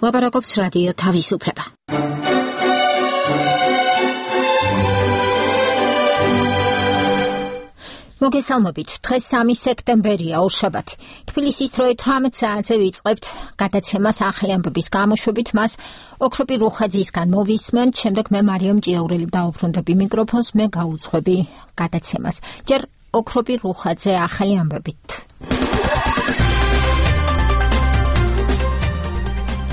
ლაპარაკობს რადიო თავისუფლება. მოგესალმებით, დღეს 3 სექტემბერია, ორშაბათი. თბილისის დროით 18 საათზე ვიწყებთ გადაცემას ახალი ამბების გამოშვებით, მას ოქროპი რუხაძისგან მოვისმენთ, შემდეგ მე მარიამ ჭიაურელი დაუბრუნდები მიკროფონს, მე გავუძღვები გადაცემას. ჯერ ოქროპი რუხაძე ახალი ამბებით.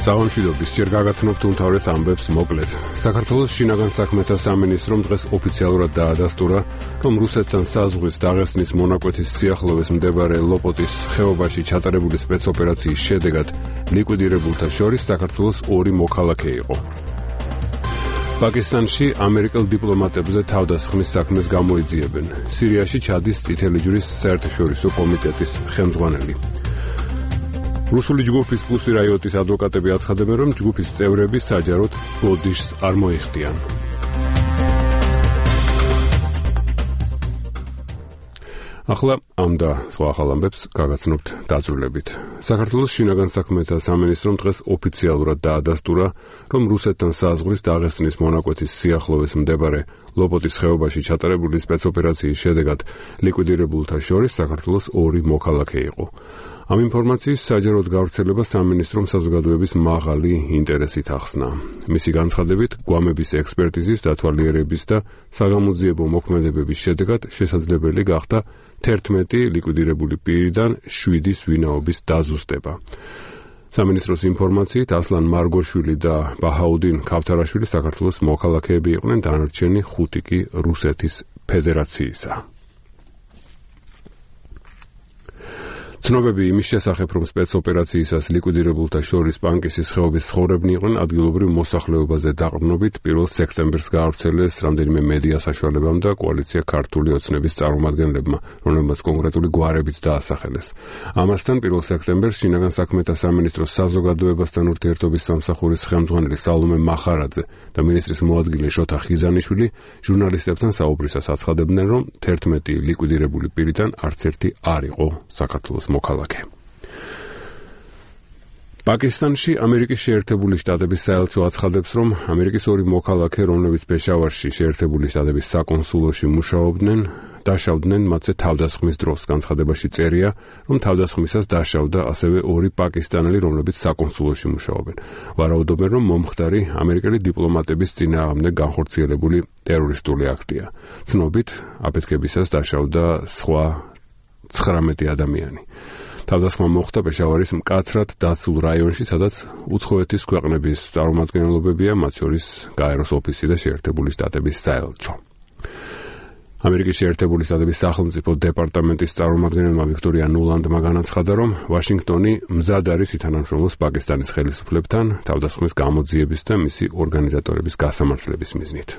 სამშვიდობის, ჯერ გაგაცნობთ უმთავრეს ამბებს მოკლედ. საქართველოს შინაგან საქმეთა სამინისტრომ დღეს ოფიციალურად დაადასტურა, რომ რუსეთთან საზღვრის დაღესტნის მონაკვეთის სიახლოვეს მდებარე ლოპოტის ხეობაში ჩატარებული სპეცოპერაციის შედეგად ლიკვიდირებულთა შორის საქართველოს 2 მოქალაქე იყო. პაკისტანში ამერიკელ დიპლომატებზე თავდასხმის საქმეს გამოიძიებენ. სირიაში ჩადის წითელი ჯვრის საერთაშორისო კომიტეტის ხელმძღვანელი. რუსული ჯგუფის პლუსი რაიოტის ადვოკატები აცხადებენ, რომ ჯგუფის წევრები საჯაროდ ბოდიშს არ მოიხდიან. ახლა ამ და სხვა ახალ ამბებს გაგაცნობთ დაწვრილებით. საქართველოს შინაგან საქმეთა სამინისტრომ დღეს ოფიციალურად დაადასტურა, რომ რუსეთთან საზღვრის დაღესტნის მონაკვეთის სიახლოვეს მდებარე ლოპოტის ხეობაში ჩატარებული სპეცოპერაციის შედეგად ლიკვიდირებულთა შორის საქართველოს 2 მოქალაქე იყო. ამ ინფორმაციის საჯაროდ გავრცელება სამინისტრომ საზოგადოების მაღალი ინტერესით ახსნა. მისი განცხადებით, გვამების ექსპერტიზის, დათვალიერების და საგამოძიებო მოქმედებების შედეგად შესაძლებელი გახდა 11 ლიკვიდირებული პირიდან 7-ის ვინაობის დაზუსტება. სამინისტროს ინფორმაციით, ასლან მარგოშვილი და ბაჰაუდინ ქავთარაშვილი საქართველოს მოქალაქეები იყვნენ, დანარჩენი 5 კი რუსეთის ფედერაციისა. ცნობები იმის შესახებ, რომ სპეცოპერაციისას ლიკვიდირებულთა შორის პანკისის ხეობის ცხოვრებნი იყვნენ, ადგილობრივ მოსახლეობაზე დაყრდნობით 1 სექტემბერს გაავრცელეს რამდენიმე მედია საშუალებამ და კოალიცია ქართული ოცნების წარმომადგენლებმა, რომლებმაც კონკრეტული გვარებიც დაასახელეს. ამასთან 1 სექტემბერს შინაგან საქმეთა სამინისტროს საზოგადოებასთან ურთიერთობის სამსახურის ხელმძღვანელი სალომე მახარაძე და მინისტრის მოადგილე შოთა ხიზანიშვილი ჟურნალისტებთან საუბრისას აცხადებდნენ, რომ 11 ლიკვიდირებული პირიდან არც ერთი არ იყო საქართველოს მოქალაქე. პაკისტანში ამერიკის შეერთებული შტატების საელჩო აცხადებს, რომ ამერიკის 2 მოქალაქე, რომლებიც პეშავარში შეერთებული შტატების საკონსულოში მუშაობდნენ, დაშავდნენ მათზე თავდასხმის დროს. განცხადებაში წერია, რომ თავდასხმისას დაშავდა ასევე 2 პაკისტანელი, რომლებიც საკონსულოში მუშაობენ. ვარაუდობენ, რომ მომხდარი ამერიკელი დიპლომატების წინააღმდეგ განხორციელებული ტერორისტული აქტია. ცნობით, აფეთქებისას დაშავდა სხვა 19 ადამიანი. თავდასხმა მოხდა პეშავარის მკაცრად დაცულ რაიონში, სადაც უცხოეთის ქვეყნების წარმომადგენლობებია, მათ შორის გაეროს ოფისი და შეერთებული შტატების საელჩო. ამერიკის შეერთებული შტატების სახელმწიფო დეპარტამენტის წარმომადგენელმა ვიქტორია ნულანდმა განაცხადა, რომ ვაშინგტონი მზად არის ითანამშრომლოს პაკისტანის ხელისუფლებთან თავდასხმის გამოძიების და მისი ორგანიზატორების გასამართლების მიზნით.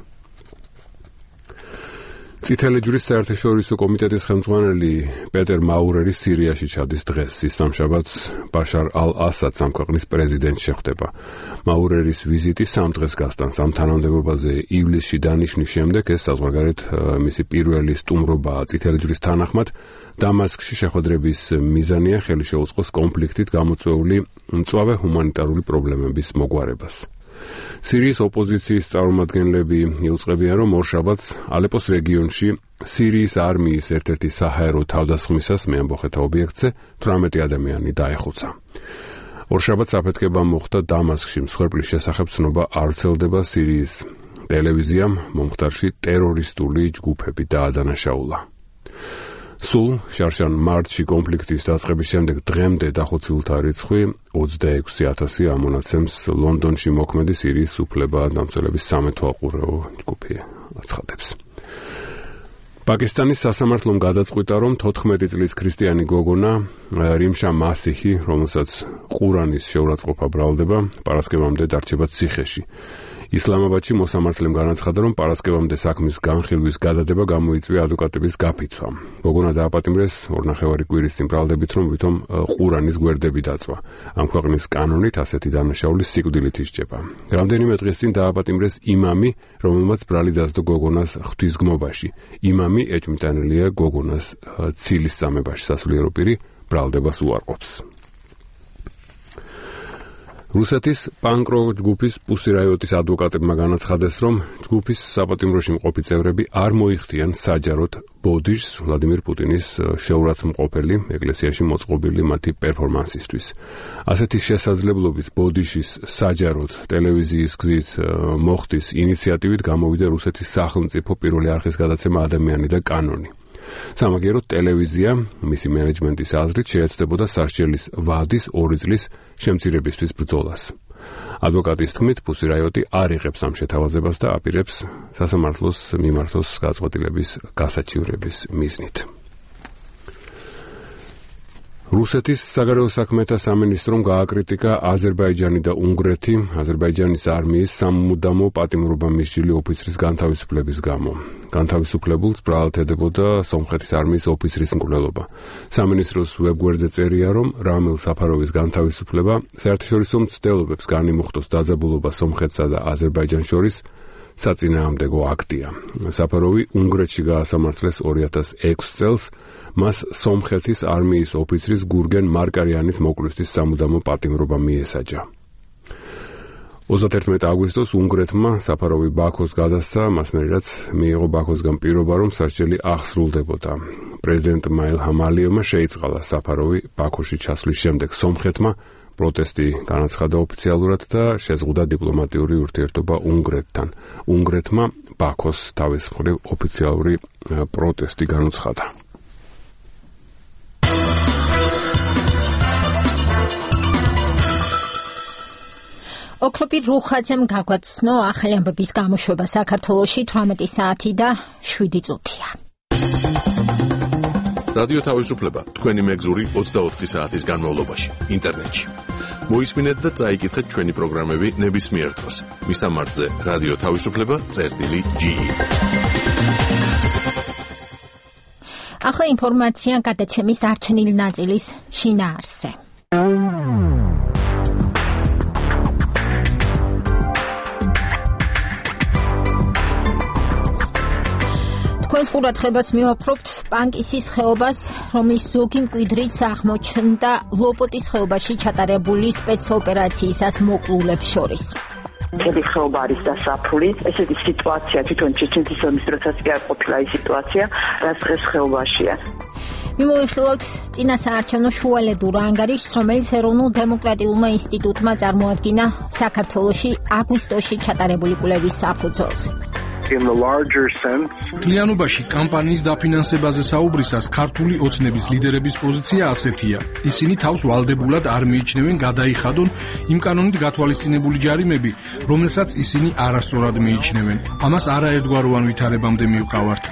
წითელი ჯვრის საერთაშორისო კომიტეტის ხელმძღვანელი პეტერ მაურერი სირიაში ჩადის დღეს. ის სამშაბათს ბაშარ ალ-ასადს ამ ქვეყნის პრეზიდენტს შეხვდება. მაურერის ვიზიტი 3 დღეს გასტანს. ამ თანამდებობაზე ივლისში დანიშნის შემდეგ ეს საზღვარგარეთ მისი პირველი სტუმრობაა წითელი ჯვრის თანახმად. დამასკში შეხვედრების მიზანია ხელი შეუწყოს კონფლიქტით გამოწვეული მწვავე ჰუმანიტარული პრობლემების მოგვარებას. სირიის ოპოზიციის წარმომადგენლები იუწყებიან, რომ ორშაბათს ალეპოს რეგიონში სირიის არმიის ერთ-ერთი საჰაერო თავდასხმისას მეამბოხეთა ობიექტზე 18 ადამიანი დაეხოცა. ორშაბათს აფეთქება მოხდა დამასკში. მსხვერპლის შესახებ ცნობა არ ვრცელდება. სირიის ტელევიზიამ მომხდარში ტერორისტული ჯგუფები დაადანაშაულა. სულ შარშან მარტში კონფლიქტის დაწყების შემდეგ დღემდე დახოცილთა რიცხვი 26,000 ამონაცემს ლონდონში მოქმედი სირიის უფლება-დამცველების სამეთვალყურეო ჯგუფი აცხადებს. პაკისტანის სასამართლომ გადაწყვიტა, რომ 14 წლის ქრისტიანი გოგონა რიმშა მასიჰი, რომელსაც ყურანის შეურაცხყოფა ბრალდება, პარასკევამდე დარჩება ციხეში. ისლამაბადში მოსამართლემ განაცხადა, რომ პარასკევამდე საქმის განხილვის გადადება გამოიწვია ადვოკატების გაფიცვა. გოგონა დააპატიმრეს 2.5 კვირის წინ ბრალდებით, რომ ვითომ ყურანის გვერდები დაწვა. ამ ქვეყნის კანონით ასეთი დანაშაული სიკვდილით ისჯება. რამდენიმე დღეს წინ დააპატიმრეს იმამი, რომელმაც ბრალი დასდო გოგონას ღვთისგმობაში. იმამი ეჭვმიტანილია გოგონას ცილის წამებაში. სასულიერო პირი ბრალდებას უარყოფს. რუსეთის პანკ-როკ ჯგუფის Pussy Riot-ის ადვოკატებმა განაცხადეს, რომ ჯგუფის საპატიმროში მყოფი წევრები არ მოიხდიან საჯაროდ ბოდიშს ვლადიმერ პუტინის შეურაცხმყოფელი ეკლესიაში მოწყობილი მათი პერფორმანსისთვის. ასეთი შესაძლებლობის ბოდიშის საჯაროდ ტელევიზიის გზით მოხდის ინიციატივით გამოვიდა რუსეთის სახელმწიფო პირველი არხის გადაცემა ადამიანი და კანონი. სამაგიეროდ ტელევიზია მისი მენეჯმენტის აზრით შეეცდებოდა სასჯელის ვადის 2 წლის შემცირებისთვის ბრძოლას. ადვოკატის თქმით, Pussy Riot-ი არ იღებს ამ შეთავაზებას და აპირებს სასამართლოს მიმართოს გადაწყვეტილების გასაჩივრების მიზნით. რუსეთის საგარეო საქმეთა სამინისტრომ გააკრიტიკა აზერბაიჯანი და უნგრეთი აზერბაიჯანის არმიის სამუდამო პატიმრობა მისჯილი ოფიცრის განთავისუფლების გამო. განთავისუფლებულს ბრალდებოდა სომხეთის არმიის ოფიცრის მკვლელობა. სამინისტროს ვებგვერდზე წერია, რომ რამილ საფაროვის განთავისუფლება საერთაშორისო მცდელობებს განიმუხტოს დაძაბულობა სომხეთსა და აზერბაიჯანს შორის საწინააღმდეგო აქტია. საფაროვი უნგრეთში გაასამართლეს 2006 წელს. მას სომხეთის არმიის ოფიცრის გურგენ მარკარიანის მოკლისთვის სამუდამო პატიმრობა მიესაჯა. 31 აგვისტოს უნგრეთმა საფაროვი ბაქოს გადასცა, მას მერე რაც მიიღო ბაქოსგან პირობა, რომ სასჯელი აღსრულდებოდა. პრეზიდენტმა ილჰამ ალიევმა შეიწყალა საფაროვი ბაქოში ჩასვლის შემდეგ სომხეთმა პროტესტი განაცხადა ოფიციალურად და შეზღუდა დიპლომატიური ურთიერთობა უნგრეთთან. უნგრეთმა ბაქოს თავის მხრივ ოფიციალური პროტესტი განუცხადა. ოქროპირ რუხაძემ გაგვაცნო ახალი ამბების გამოშვება საქართველოში 18 საათი და 7 წუთია. რადიო თავისუფლება თქვენი მეგზური 24 საათის განმავლობაში ინტერნეტში. მოისმინეთ და წაიკითხეთ ჩვენი პროგრამები ნებისმიერ დროს. მისამართზე რადიო თავისუფლება.ge. ახლა ინფორმაცია გადაცემის დარჩენილი ნაწილის შინაარსზე. თქვენს ყურადღებას მივაფრობთ პანკისის ხეობას, რომლის ზოგი მკვიდრიც აღმოჩნდა ლოპოტის ხეობაში ჩატარებული სპეცოპერაციისას მოკლულებს შორის. მთელი ხეობა არის დასაფული. ესეთი სიტუაცია თვითონ ჩეჩნეთის ომის დროსაც კი არ ყოფილა ის სიტუაცია, რაც დღეს ხეობაშია. მიმოიხილოთ წინასაარჩევნო შუალედურ ანგარიშს, რომელიც ეროვნულ დემოკრატიულმა ინსტიტუტმა წარმოადგინა საქართველოში აგვისტოში ჩატარებული კვლევის საფუძველს. კლიანობაში კამპანიის დაფინანსებაზე საუბრისას ქართული ოცნების ლიდერების პოზიცია ასეთია. ისინი თავს ვალდებულად არ მიიჩნევენ გადაიხადონ იმ კანონით გათვალისწინებული ჯარიმები, რომელსაც ისინი არასწორად მიიჩნევენ. ამას არაერთგვაროვან ვითარებამდე მივყავართ.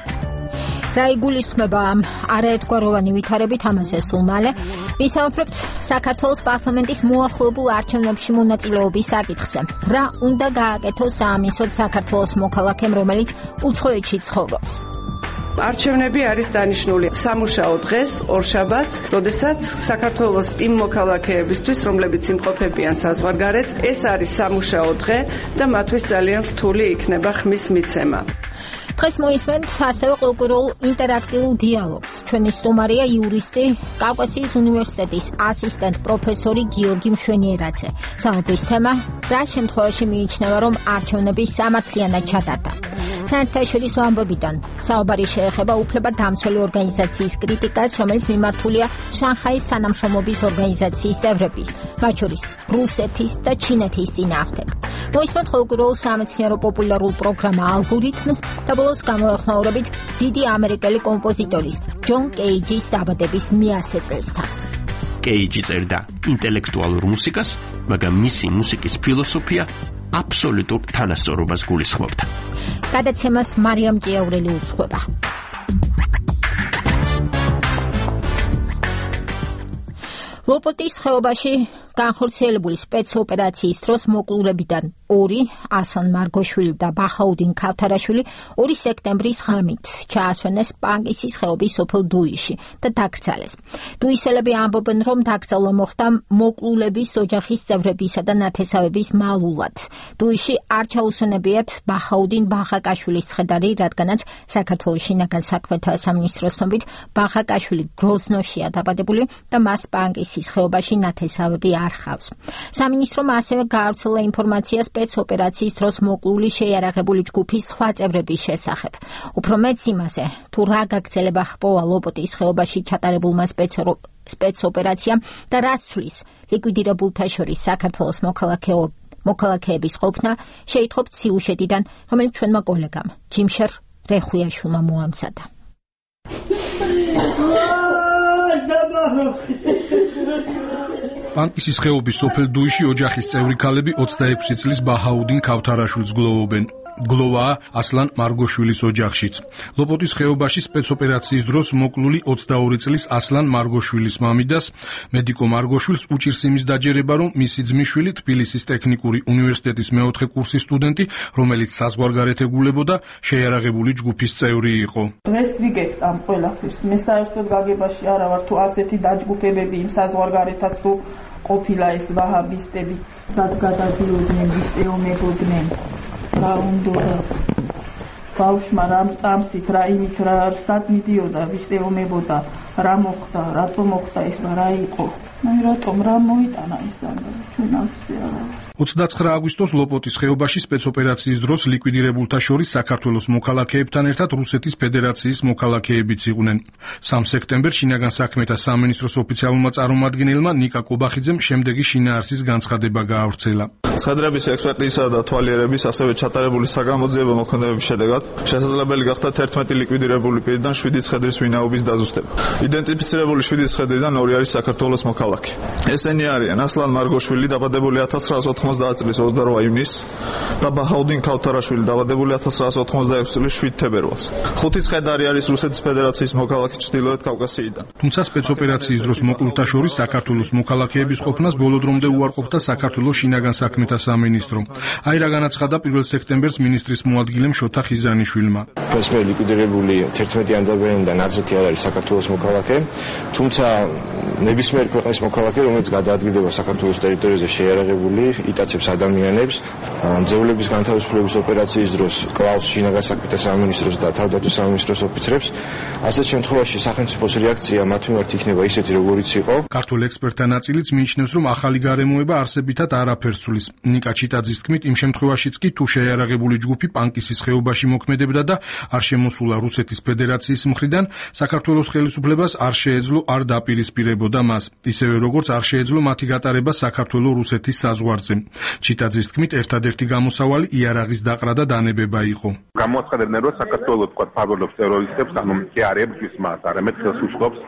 რა იგულისხმება ამ არაერთგვაროვანი ვითარებით, ამაზე სულ მალე ვისაუბრებთ საქართველოს პარლამენტის მოახლოებულ არჩევნებში მონაწილეობის საკითხზე. რა უნდა გააკეთოს საამისოდ საქართველოს მოქალაქემ, რომელიც უცხოეთში ცხოვრობს? არჩევნები არის დანიშნული სამუშაო დღეს, ორშაბათს, როდესაც საქართველოს იმ მოქალაქეებისთვის, რომლებიც იმყოფებიან საზღვარგარეთ, ეს არის სამუშაო დღე და მათთვის ძალიან რთული იქნება ხმის მიცემა. დღეს მოისმენთ ასევე კულტურულ ინტერაქტიულ დიალოგს. ჩვენი სტუმარია იურისტი, კავკასიის უნივერსიტეტის ასისტენტ პროფესორი გიორგი მშვენიერაძე. საუბრის თემა: რა შემთხვევაში მიიჩნევა, რომ არჩევნები სამართლიანად ჩატარდა? საერთაშორისო ამბებიდან საუბარი შეეხება უფლებადამცველი ორგანიზაციის კრიტიკას, რომელიც მიმართულია შანხაის თანამშრომლობის ორგანიზაციის წევრების, მათ შორის რუსეთის და ჩინეთის წინააღმდეგ. მოისმენთ კულტურულ სამეცნიერო პოპულარულ პროგრამა ალგორითმს და ბოლოს გამოეხმაურებით დიდი ამერიკელი კომპოზიტორის ჯონ კეიჯის დაბადების 100 წელსთანს. კეიჯი წერდა ინტელექტუალურ მუსიკას, მაგრამ მისი მუსიკის ფილოსოფია აბსოლუტურ თანასწორობას გულისხმობდა. გადაცემას მარიამ ჭიაურელი უძღვება. ლოპოტის ხეობაში განხორციელებული სპეცოპერაციის დროს მოკლულებიდან 2 ასლან მარგოშვილი და ბახაუდინ ქავთარაშვილი 2 სექტემბრის ღამით ჩაასვენეს პანკისის ხეობის სოფელ დუიში და დაკრძალეს. დუისელები ამბობენ, რომ დაკრძალვა მოხდა მოკლულების ოჯახის წევრებისა და ნათესავების მალულად. დუიში არ ჩაუსვენებიათ ბახაუდინ ბახაკაშვილის ცხედარი, რადგანაც საქართველოს შინაგან საქმეთა სამინისტროს ცნობით ბახაკაშვილი გროზნოშია დაბადებული და მას პანკისის ხეობაში ნათესავები არ ჰყავს. სამინისტრომ ასევე გაავრცელა ინფორმაცია სპეცოპერაციის დროს მოკლული შეიარაღებული ჯგუფის სხვა წევრების შესახებ. უფრო მეტ იმაზე, თუ რა გაგრძელება ჰპოვა ლოპოტის ხეობაში ჩატარებულმა სპეცოპერაციამ და რას ცვლის ლიკვიდირებულთა შორის საქართველოს მოქალაქეების ყოფნა, შეითხოვთ სიუჟეტიდან, რომელიც ჩვენმა კოლეგამ ჯიმშერ რეხუიაშვილმა მოამზადა. პანკისის ხეობის სოფელ დუიში ოჯახის წევრი ქალები 26 წლის ბაჰაუდინ ქავთარაშვილს გლოვობენ. გლოვაა ასლან მარგოშვილის ოჯახშიც. ლოპოტის ხეობაში სპეცოპერაციის დროს მოკლული 22 წლის ასლან მარგოშვილის მამიდას მედიკო მარგოშვილს უჭირს იმის დაჯერება, რომ მისი ძმისშვილი თბილისის ტექნიკური უნივერსიტეტის მეოთხე კურსის სტუდენტი, რომელიც საზღვარგარეთ ეგულებოდა, შეიარაღებული ჯგუფის წევრი იყო. დღეს ვიგებთ ამ ყველაფერს. მე საერთოდ გაგებაში არა ვარ, თუ ასეთი დაჯგუფებები იმ საზღვარგარეთაც თუ ყოფილა ეს ვაჰაბისტები, სად გადადიოდნენ, ვის ეომებოდნენ. რა უნდა ბავშვმა რა წამსით, რა იმით, რა სად მიდიოდა, ვის ეომებოდა, რა მოხდა, რატო მოხდა ეს და რა იყო. რატომ რა მოიტანა ეს ჩვენ ახსე არა. 29 აგვისტოს ლოპოტის ხეობაში სპეცოპერაციის დროს ლიკვიდირებულთა შორის საქართველოს მოქალაქეებთან ერთად რუსეთის ფედერაციის მოქალაქეებიც იყვნენ. 3 სექტემბერს შინაგან საქმეთა სამინისტროს ოფიციალურმა წარმომადგენელმა ნიკა კობახიძემ შემდეგი შინაარსის განცხადება გაავრცელა. ცხედრების ექსპერტიზისა და თვალიერების, ასევე ჩატარებული საგამოძიებო მოქმედებების შედეგად შესაძლებელი გახდა 11 ლიკვიდირებული პირიდან 7 ცხედრის ვინაობის დაზუსტება. იდენტიფიცირებული 7 ცხედრიდან 2 არის საქართველოს მოქალაქე. ესენი არიან ასლან მარგოშვილი, დაბადებული 1990 წლის 28 ივნისს და ბაჰაუდინ ქავთარაშვილი, დაბადებული 1986 წლის 7 თებერვალს. 5 ცხედარი არის რუსეთის ფედერაციის მოქალაქე ჩრდილოეთ კავკასიიდან. თუმცა სპეცოპერაციის დროს მოკლულთა შორის საქართველოს მოქალაქეების ყოფნას ბოლო დრომდე უარყოფდა საქართველოს შინაგან საქმეთა სამინისტრო. აი რა განაცხადა 1 სექტემბერს მინისტრის მოადგილემ შოთა ხიზანიშვილმა. მე ლიკვიდირებული 11 ანდაბერიდან არცერთი არ არის საქართველოს მოქალაქე, თუმცა ნებისმიერ ქვეყნის მოქალაქე, რომელიც გადაადგილდება საქართველოს ტერიტორიაზე შეიარაღებული, იტაცებს ადამიანებს, ძევლების განთავისუფლების ოპერაციის დროს კლავს შინაგან საქმეთა სამინისტროს და თავდაცვის სამინისტროს ოფიცრებს. ასეთ შემთხვევაში სახელმწიფოს რეაქცია მათ მიმართ იქნება ისეთი, როგორიც იყო. ქართულ ექსპერტთა ნაწილიც მიიჩნევს, რომ ახალი გარემოება არსებითად არაფერს ცვლის. ნიკა ჩიტაძის თქმით, იმ შემთხვევაშიც კი თუ შეიარაღებული ჯგუფი პანკისის ხეობაში მოქმედებდა და არ შემოსულა რუსეთის ფედერაციის მხრიდან, საქართველოს ხელისუფლებას არ შეეძლო არ დაპირისპირებოდა მას, ისევე როგორც არ შეეძლო მათი გატარება საქართველო-რუსეთის საზღვარზე. ჩიტაძის თქმით, ერთადერთი გამოსავალი იარაღის დაყრა და დანებება იყო. გამოაცხადებდნენ, რომ საქართველოს თქვა ფავრობს ტერორისტებს, ანუ კი არ ებრძვის მას, არამედ ხელს უშლობს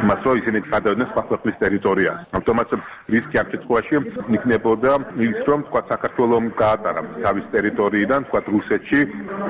მას, რომ ისინი გადავიდნენ სხვა ქვეყნის ტერიტორიაზე. ამიტომაც რისკი ამ შემთხვევაში იქნებოდა ის, რომ თქვა საქართველოს გაატარა თავის ტერიტორიიდან თქვა რუსეთში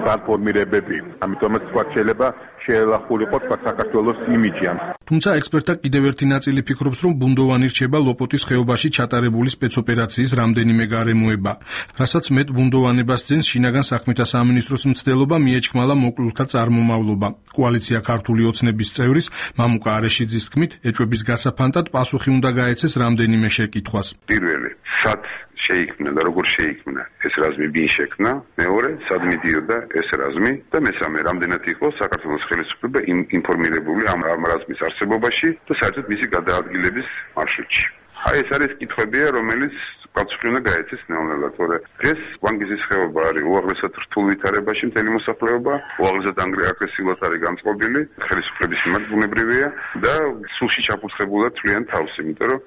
ტრანსფორმირებები. ამიტომაც თქვა შეიძლება შეელახულიყო თქვა საქართველოს იმიჯი. თუმცა ექსპერტთა კიდევ ერთი ნაწილი ფიქრობს, რომ ბუნდოვანი რჩება ლოპოტის ხეობაში ჩატარებული სპეცოპერაციის რამდენიმე გარემოება, რასაც მეტ ბუნდოვანებას ძენს შინაგან საქმეთა სამინისტროს მცდელობა მიეჩქმალა მოკლულთა წარმომავლობა. კოალიცია ქართული ოცნების წევრის მამუკა არეშიძის თქმით, ეჭვების გასაფანტად პასუხი უნდა გაეცეს რამდენიმე შეკითხვას. პირველი, სად შეიქმნა და როგორ შეიქმნა ეს რაზმი, ვინ შექმნა? მეორე, სად მიდიოდა ეს რაზმი? და მესამე, რამდენად იყო საქართველოს ხელისუფლება ინფორმირებული ამ რაზმის არსებობაში და საერთოდ მისი გადაადგილების მარშრუტში. აი ეს არის კითხვებია, რომელიც პასუხი უნდა გაეცეს ნელ-ნელა, თორე დღეს პანკისის ხეობა არის უაღრესად რთულ ვითარებაში მთელი მოსახლეობა, უაღრესად აგრესიულად არის განწყობილი, ხელისუფლების მიმართ ბუნებრივია და სულში ჩაფურთხებულად თვლიან თავს, იმიტომ რომ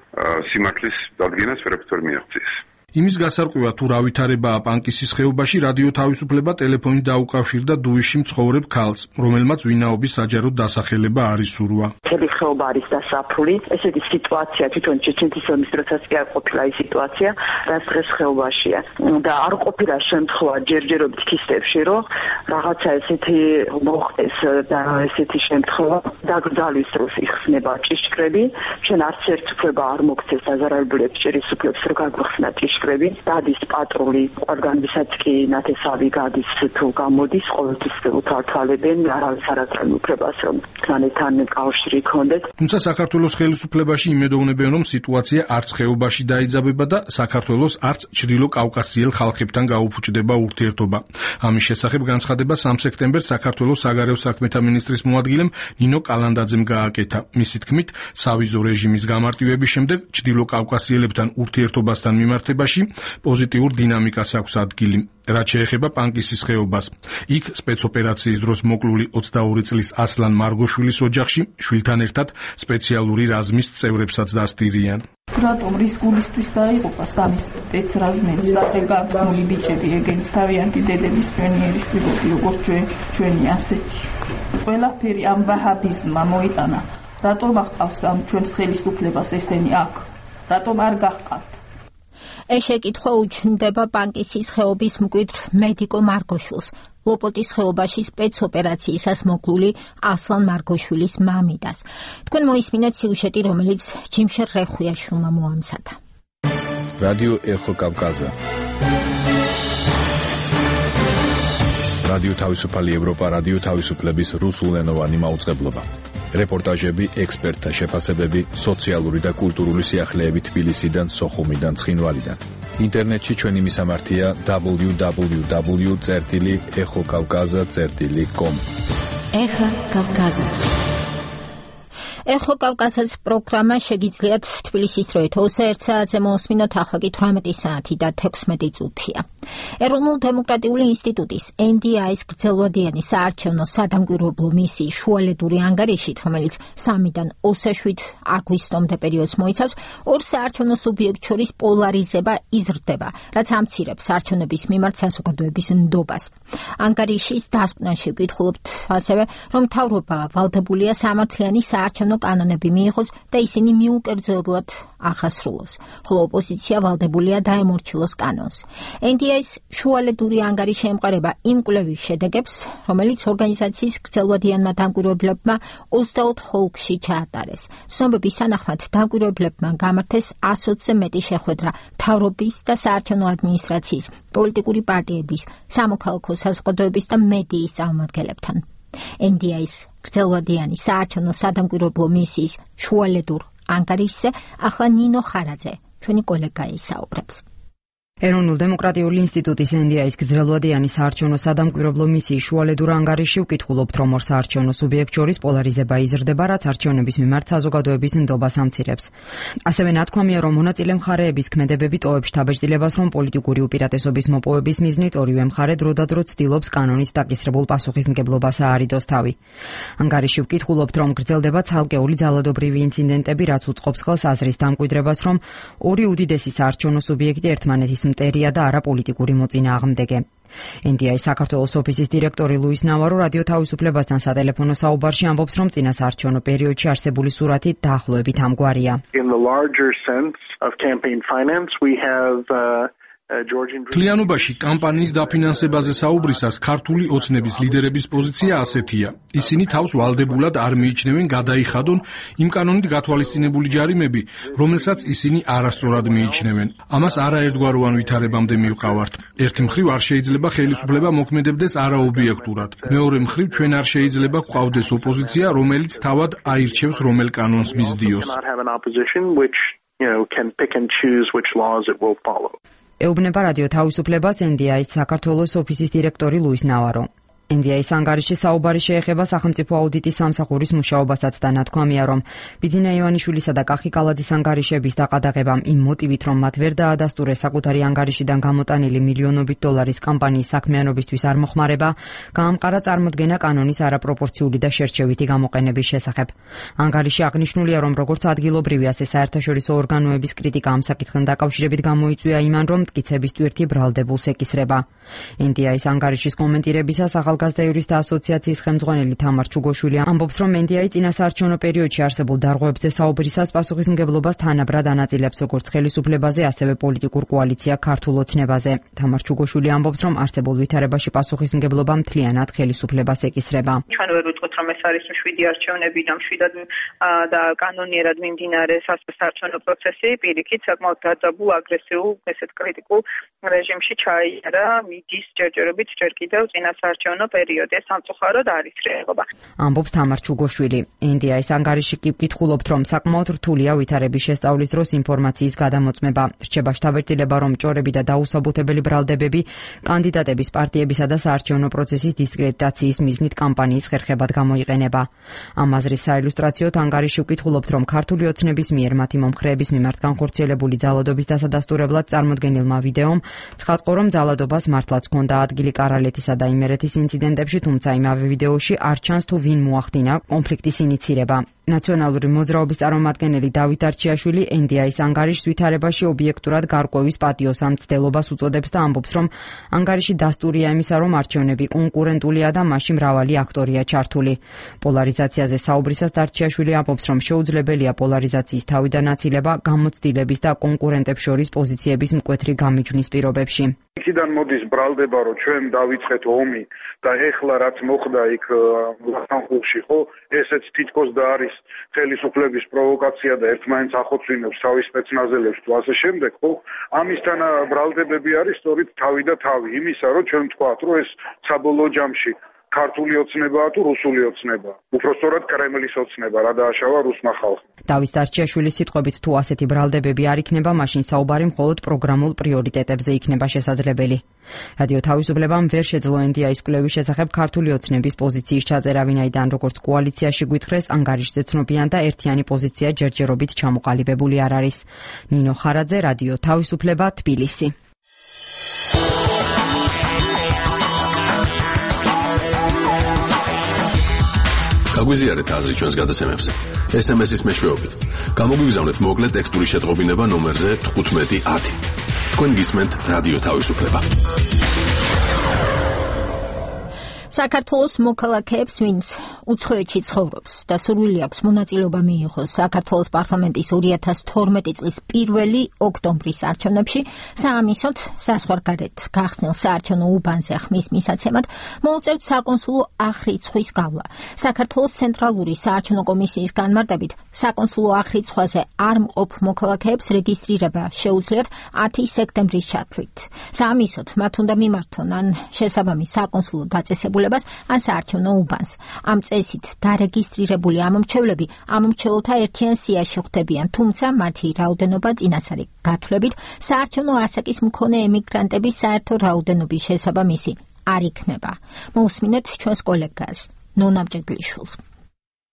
სიმართლის დადგენას ვერაფერ მიაღწიეს. იმის გასარკვევად თუ რა ვითარებაა პანკისის ხეობაში, რადიო თავისუფლება ტელეფონით დაუკავშირდა დუიში მცხოვრებ ქალს, რომელმაც ვინაობის საჯაროდ დასახელება არ ისურვა. მთელი ხეობა არის დასაფული. ესეთი სიტუაცია თვითონ ჩეჩნეთის ომის დროსაც კი არ ყოფილა ის სიტუაცია, რაც დღეს ხეობაშია. და არ ყოფილა შემთხვევა ჯერჯერობით ქისტებში, რომ რაღაცა ესეთი მოხდეს და ესეთი შემთხვევა დაგრძალვის დროს იხსნება ჭიშკრები. ჩვენ არც ერთ უფლება არ მოგცეს აზარალბულებს ჭერის უფლებს, რომ გაგვხსნა ჭიშკრები. მოსახლები, დადის პატრული, ყველგანვისაც კი ნათესავი გადის თუ გამოდის, ყოველთვის უთვალთვალებენ არავის არ აძლევს უფლებას, რომ თანებთან კავშირი ქონდეთ. თუმცა საქართველოს ხელისუფლებაში იმედოვნებენ, რომ სიტუაცია არც ხეობაში დაიძაბება და საქართველოს არც ჩრდილო კავკასიელ ხალხებთან გაუფუჭდება ურთიერთობა. ამის შესახებ განცხადება 3 სექტემბერს საქართველოს საგარეო საქმეთა მინისტრის მოადგილემ ნინო კალანდაძემ გააკეთა. მისი თქმით, სავიზო რეჟიმის გამარტივების შემდეგ ჩრდილო კავკასიელებთან ურთიერთობასთან მიმართებაში პოზიტიურ დინამიკას აქვს ადგილი. რაც შეეხება პანკისის ხეობას. იქ სპეცოპერაციის დროს მოკლული 22 წლის ასლან მარგოშვილის ოჯახში შვილთან ერთად სპეციალური რაზმის წევრებსაც დასტირიან. რატომ რისკულისთვის დაიღუპა სამი სპეცრაზმის სახელგანთქმული ბიჭები, ეგეც თავიანთი დედების ჩვენიერი შვილები, როგორც ჩვენი ასეთი. ყველაფერი ამ ვაჰაბიზმმა მოიტანა. რატომ აღყავს ამ ჩვენს ხელისუფლებას ესენი აქ? რატომ არ გაჰყავთ? ეს შეკითხვა უჩნდება პანკისის ხეობის მკვიდრ მედიკო მარგოშვილს, ლოპოტის ხეობაში სპეცოპერაციისას მოკლული ასლან მარგოშვილის მამიდას. თქვენ მოისმინეთ სიუჟეტი, რომელიც ჯიმშერ რეხუიაშვილმა მოამზადა. რადიო ეხო კავკაზა. რადიო თავისუფალი ევროპა, რადიო თავისუფლების რუსულენოვანი მაუწყებლობა. რეპორტაჟები, ექსპერტთა შეფასებები, სოციალური და კულტურული სიახლეები თბილისიდან, სოხუმიდან, ცხინვალიდან. ინტერნეტში ჩვენი მისამართია www.ეხოკავკაზა.com. ეხა კავკაზა. ეხო კავკაზას პროგრამა შეგიძლიათ თბილისის დროით 21 საათზე მოსმინოთ, ახლა კი 18 საათი და 16 წუთია. ეროვნულ დემოკრატიული ინსტიტუტის NDI-ის გრძელვადიანი საარჩევნო სადამკვირვებლო მისიის შუალედური ანგარიშით, რომელიც 3-დან 27 აგვისტომდე პერიოდს მოიცავს, ორ საარჩევნო სუბიექტ შორის პოლარიზება იზრდება, რაც ამცირებს არჩევნების მიმართ საზოგადოების ნდობას. ანგარიშის დასკვნაში ვკითხულობთ ასევე, რომ მთავრობა ვალდებულია სამართლიანი საარჩევნო კანონები მიიღოს და ისინი მიუკერძოებლად ახასრულოს, ხოლო ოპოზიცია ვალდებულია დაემორჩილოს კანონს. NDI-ის შუალედური ანგარიში ემყარება იმ კვლევის შედეგებს, რომელიც ორგანიზაციის გრძელვადიანმა დამკვირვებლებმა 24 ოლქში ჩაატარეს. ცნობების თანახმად დამკვირვებლებმა გამართეს 120-ზე მეტი შეხვედრა მთავრობის და საარჩევნო ადმინისტრაციის, პოლიტიკური პარტიების, სამოქალაქო საზოგადოების და მედიის წარმომადგენლებთან. NDI-ის გრძელვადიანი საარჩევნო სადამკვირვებლო მისიის შუალედურ ანგარიშზე ახლა ნინო ხარაძე, ჩვენი კოლეგა ისაუბრებს. ეროვნულ დემოკრატიული ინსტიტუტის NDI-ის გრძელვადიანი საარჩევნო სადამკვირვებლო მისიის შუალედურ ანგარიში ვკითხულობთ, რომ ორ საარჩევნო სუბიექტ შორის პოლარიზება იზრდება, რაც არჩევნების მიმართ საზოგადოების ნდობას ამცირებს. ასევე ნათქვამია, რომ მონაწილე მხარეების ქმედებები ტოვებს შთაბეჭდილებას, რომ პოლიტიკური უპირატესობის მოპოვების მიზნით ორივე მხარე დროდადრო ცდილობს კანონით დაკისრებულ პასუხისმგებლობას აარიდოს თავი. ანგარიში ვკითხულობთ, რომ გრძელდება ცალკეული ძალადობრივი ინციდენტები, რაც უწყობს ხელს აზრის დამკვიდრებას, რომ ორი უდიდესი საარჩევნო სუბიექტი ერთმანეთის მტერია და არა პოლიტიკური მოწინააღმდეგე. NDI საქართველოს ოფისის დირექტორი ლუის ნავარო რადიო თავისუფლებასთან სატელეფონო საუბარში ამბობს, რომ წინა საარჩევნო პერიოდში არსებული სურათი დაახლოებით ამგვარია. In the larger sense of campaign finance, we have Თლიანობაში კამპანიის დაფინანსებაზე საუბრისას ქართული ოცნების ლიდერების პოზიცია ასეთია. ისინი თავს ვალდებულად არ მიიჩნევენ გადაიხადონ იმ კანონით გათვალისწინებული ჯარიმები, რომელსაც ისინი არასწორად მიიჩნევენ. ამას არაერთგვაროვან ვითარებამდე მივყავართ. ერთი მხრივ არ შეიძლება ხელისუფლება მოქმედებდეს არაობიექტურად. მეორე მხრივ ჩვენ არ შეიძლება გვყავდეს ოპოზიცია, რომელიც თავად აირჩევს რომელ კანონს მისდიოს. ეუბნება რადიო თავისუფლებას NDI-ის საქართველოს ოფისის დირექტორი ლუის ნავარო. NDI-ის ანგარიში საუბარი შეეხება სახელმწიფო აუდიტის სამსახურის მუშაობასაც და ნათქვამია, რომ ბიძინა ივანიშვილისა და კახი კალაძის ანგარიშების დაყადაღებამ იმ მოტივით, რომ მათ ვერ დაადასტურეს საკუთარი ანგარიშიდან გამოტანილი მილიონობით დოლარის კამპანიის საქმიანობისთვის არ მოხმარება, გაამყარა წარმოდგენა კანონის არაპროპორციული და შერჩევითი გამოყენების შესახებ. ანგარიში აღნიშნულია, რომ როგორც ადგილობრივი, ასე საერთაშორისო ორგანოების კრიტიკა ამ საკითხთან დაკავშირებით გამოიწვია იმან, რომ მტკიცების ტვირთი ბრალდებულს ეკისრება. NDI-ის ანგარიშის კომენტირებისას ახალგაზრდა იურისტთა ასოციაციის ხელმძღვანელი თამარ ჩუგოშვილი ამბობს, რომ NDI წინასაარჩევნო პერიოდში არსებულ დარღვევებზე საუბრისას პასუხისმგებლობას თანაბრად ანაწილებს როგორც ხელისუფლებაზე, ასევე პოლიტიკურ კოალიცია ქართულ ოცნებაზე. თამარ ჩუგოშვილი ამბობს, რომ არსებულ ვითარებაში პასუხისმგებლობა მთლიანად ხელისუფლებას ეკისრება. ჩვენ ვერ ვიტყვით, რომ ეს არის 7 არჩევნები და მშვიდად და კანონიერად მიმდინარე სასარჩევნო პროცესი, პირიქით საკმაოდ დაძაბულ, აგრესიულ, ესეთ კრიტიკულ რეჟიმში ჩაიარა მიდის ჯერჯერობით ჯერ კიდევ წინასაარჩევნო პერიოდი. ეს სამწუხაროდ არის რეალობა. ამბობს თამარ ჩუგოშვილი. NDI-ს ანგარიში კი ვკითხულობთ, რომ საკმაოდ რთულია ვითარების შესწავლის დროს ინფორმაციის გადამოწმება. რჩება შთაბეჭდილება, რომ ჭორები და დაუსაბუთებელი ბრალდებები კანდიდატების, პარტიებისა და საარჩევნო პროცესის დისკრედიტაციის მიზნით კამპანიის ხერხებად გამოიყენება. ამ აზრის საილუსტრაციოდ ანგარიში ვკითხულობთ, რომ ქართული ოცნების მიერ მათი მომხრეების მიმართ განხორციელებული ძალადობის დასადასტურებლად წარმოდგენილმა ვიდეომ ცხადყო, რომ ძალადობას მართლაც ჰქონდა ადგილი კარალეთისა და იმერეთის ინციდენტებში, თუმცა იმავე ვიდეოში არ ჩანს თუ ვინ მოახდინა კონფლიქტის ინიცირება. ნაციონალური მოძრაობის წარმომადგენელი დავით არჩიაშვილი NDI-ს ანგარიშს ვითარებაში ობიექტურად გარკვევის პატიოს ამ მცდელობას უწოდებს და ამბობს, რომ ანგარიში დასტურია იმისა, რომ არჩევნები კონკურენტულია და მასში მრავალი აქტორია ჩართული. პოლარიზაციაზე საუბრისას არჩიაშვილი ამბობს, რომ შეუძლებელია პოლარიზაციის თავიდან აცილება გამოცდილების და კონკურენტებს შორის პოზიციების მკვეთრი გამიჯვნის პირობებში. იქიდან მოდის ბრალდება, რომ ჩვენ დავიწყეთ ომი და ეხლა რაც მოხდა იქ ლახანხულში, ხო, ესეც თითქოს და არის ხელისუფლების პროვოკაცია და ერთმანეთს ახოცვინებს თავის სპეცნაზელებს თუ ასე შემდეგ, ხო? ამისთან ბრალდებები არის სწორედ თავი და თავი იმისა, რომ ჩვენ ვთქვათ, რომ ეს საბოლოო ჯამში ქართული ოცნებაა თუ რუსული ოცნებაა. უფრო სწორად კრემლის ოცნება, რა დააშავა რუსმა ხალხმა. დავით არჩიაშვილის სიტყვებით, თუ ასეთი ბრალდებები არ იქნება, მაშინ საუბარი მხოლოდ პროგრამულ პრიორიტეტებზე იქნება შესაძლებელი. რადიო თავისუფლებამ ვერ შეძლო NDI-ს კვლევის შესახებ ქართული ოცნების პოზიციის ჩაწერა, ვინაიდან როგორც კოალიციაში გვითხრეს, ანგარიშზე ცნობიან და ერთიანი პოზიცია ჯერჯერობით ჩამოყალიბებული არ არის. ნინო ხარაძე, რადიო თავისუფლება, თბილისი. გაგვიზიარეთ აზრი ჩვენს გადაცემებზე. SMS-ის მეშვეობით. გამოგვიგზავნეთ მოკლე ტექსტური შეტყობინება ნომერზე 1510. თქვენ გისმენთ რადიო თავისუფლება. საქართველოს მოქალაქეებს, ვინც უცხოეთში ცხოვრობს და სურვილი აქვს მონაწილეობა მიიღოს საქართველოს პარლამენტის 2012 წლის 1 ოქტომბრის არჩევნებში, საამისოდ საზღვარგარეთ გახსნილ საარჩევნო უბანზე ხმის მისაცემად მოუწევთ საკონსულო აღრიცხვის გავლა. საქართველოს ცენტრალური საარჩევნო კომისიის განმარტებით, საკონსულო აღრიცხვაზე არ მყოფ მოქალაქეებს რეგისტრირება შეუძლიათ 10 სექტემბრის ჩათვლით. საამისოდ მათ უნდა მიმართონ ან შესაბამის საკონსულო დაწესებულებას ან საარჩევნო უბანს. ამ წესით დარეგისტრირებული ამომრჩევლები ამომრჩეველთა ერთიან სიაში ხვდებიან, თუმცა მათი რაოდენობა წინასწარი გათვლებით საარჩევნო ასაკის მქონე ემიგრანტების საერთო რაოდენობის შესაბამისი არ იქნება. მოусმინეთ ჩვენს კოლეგას ნონა მჭედლიშვილს.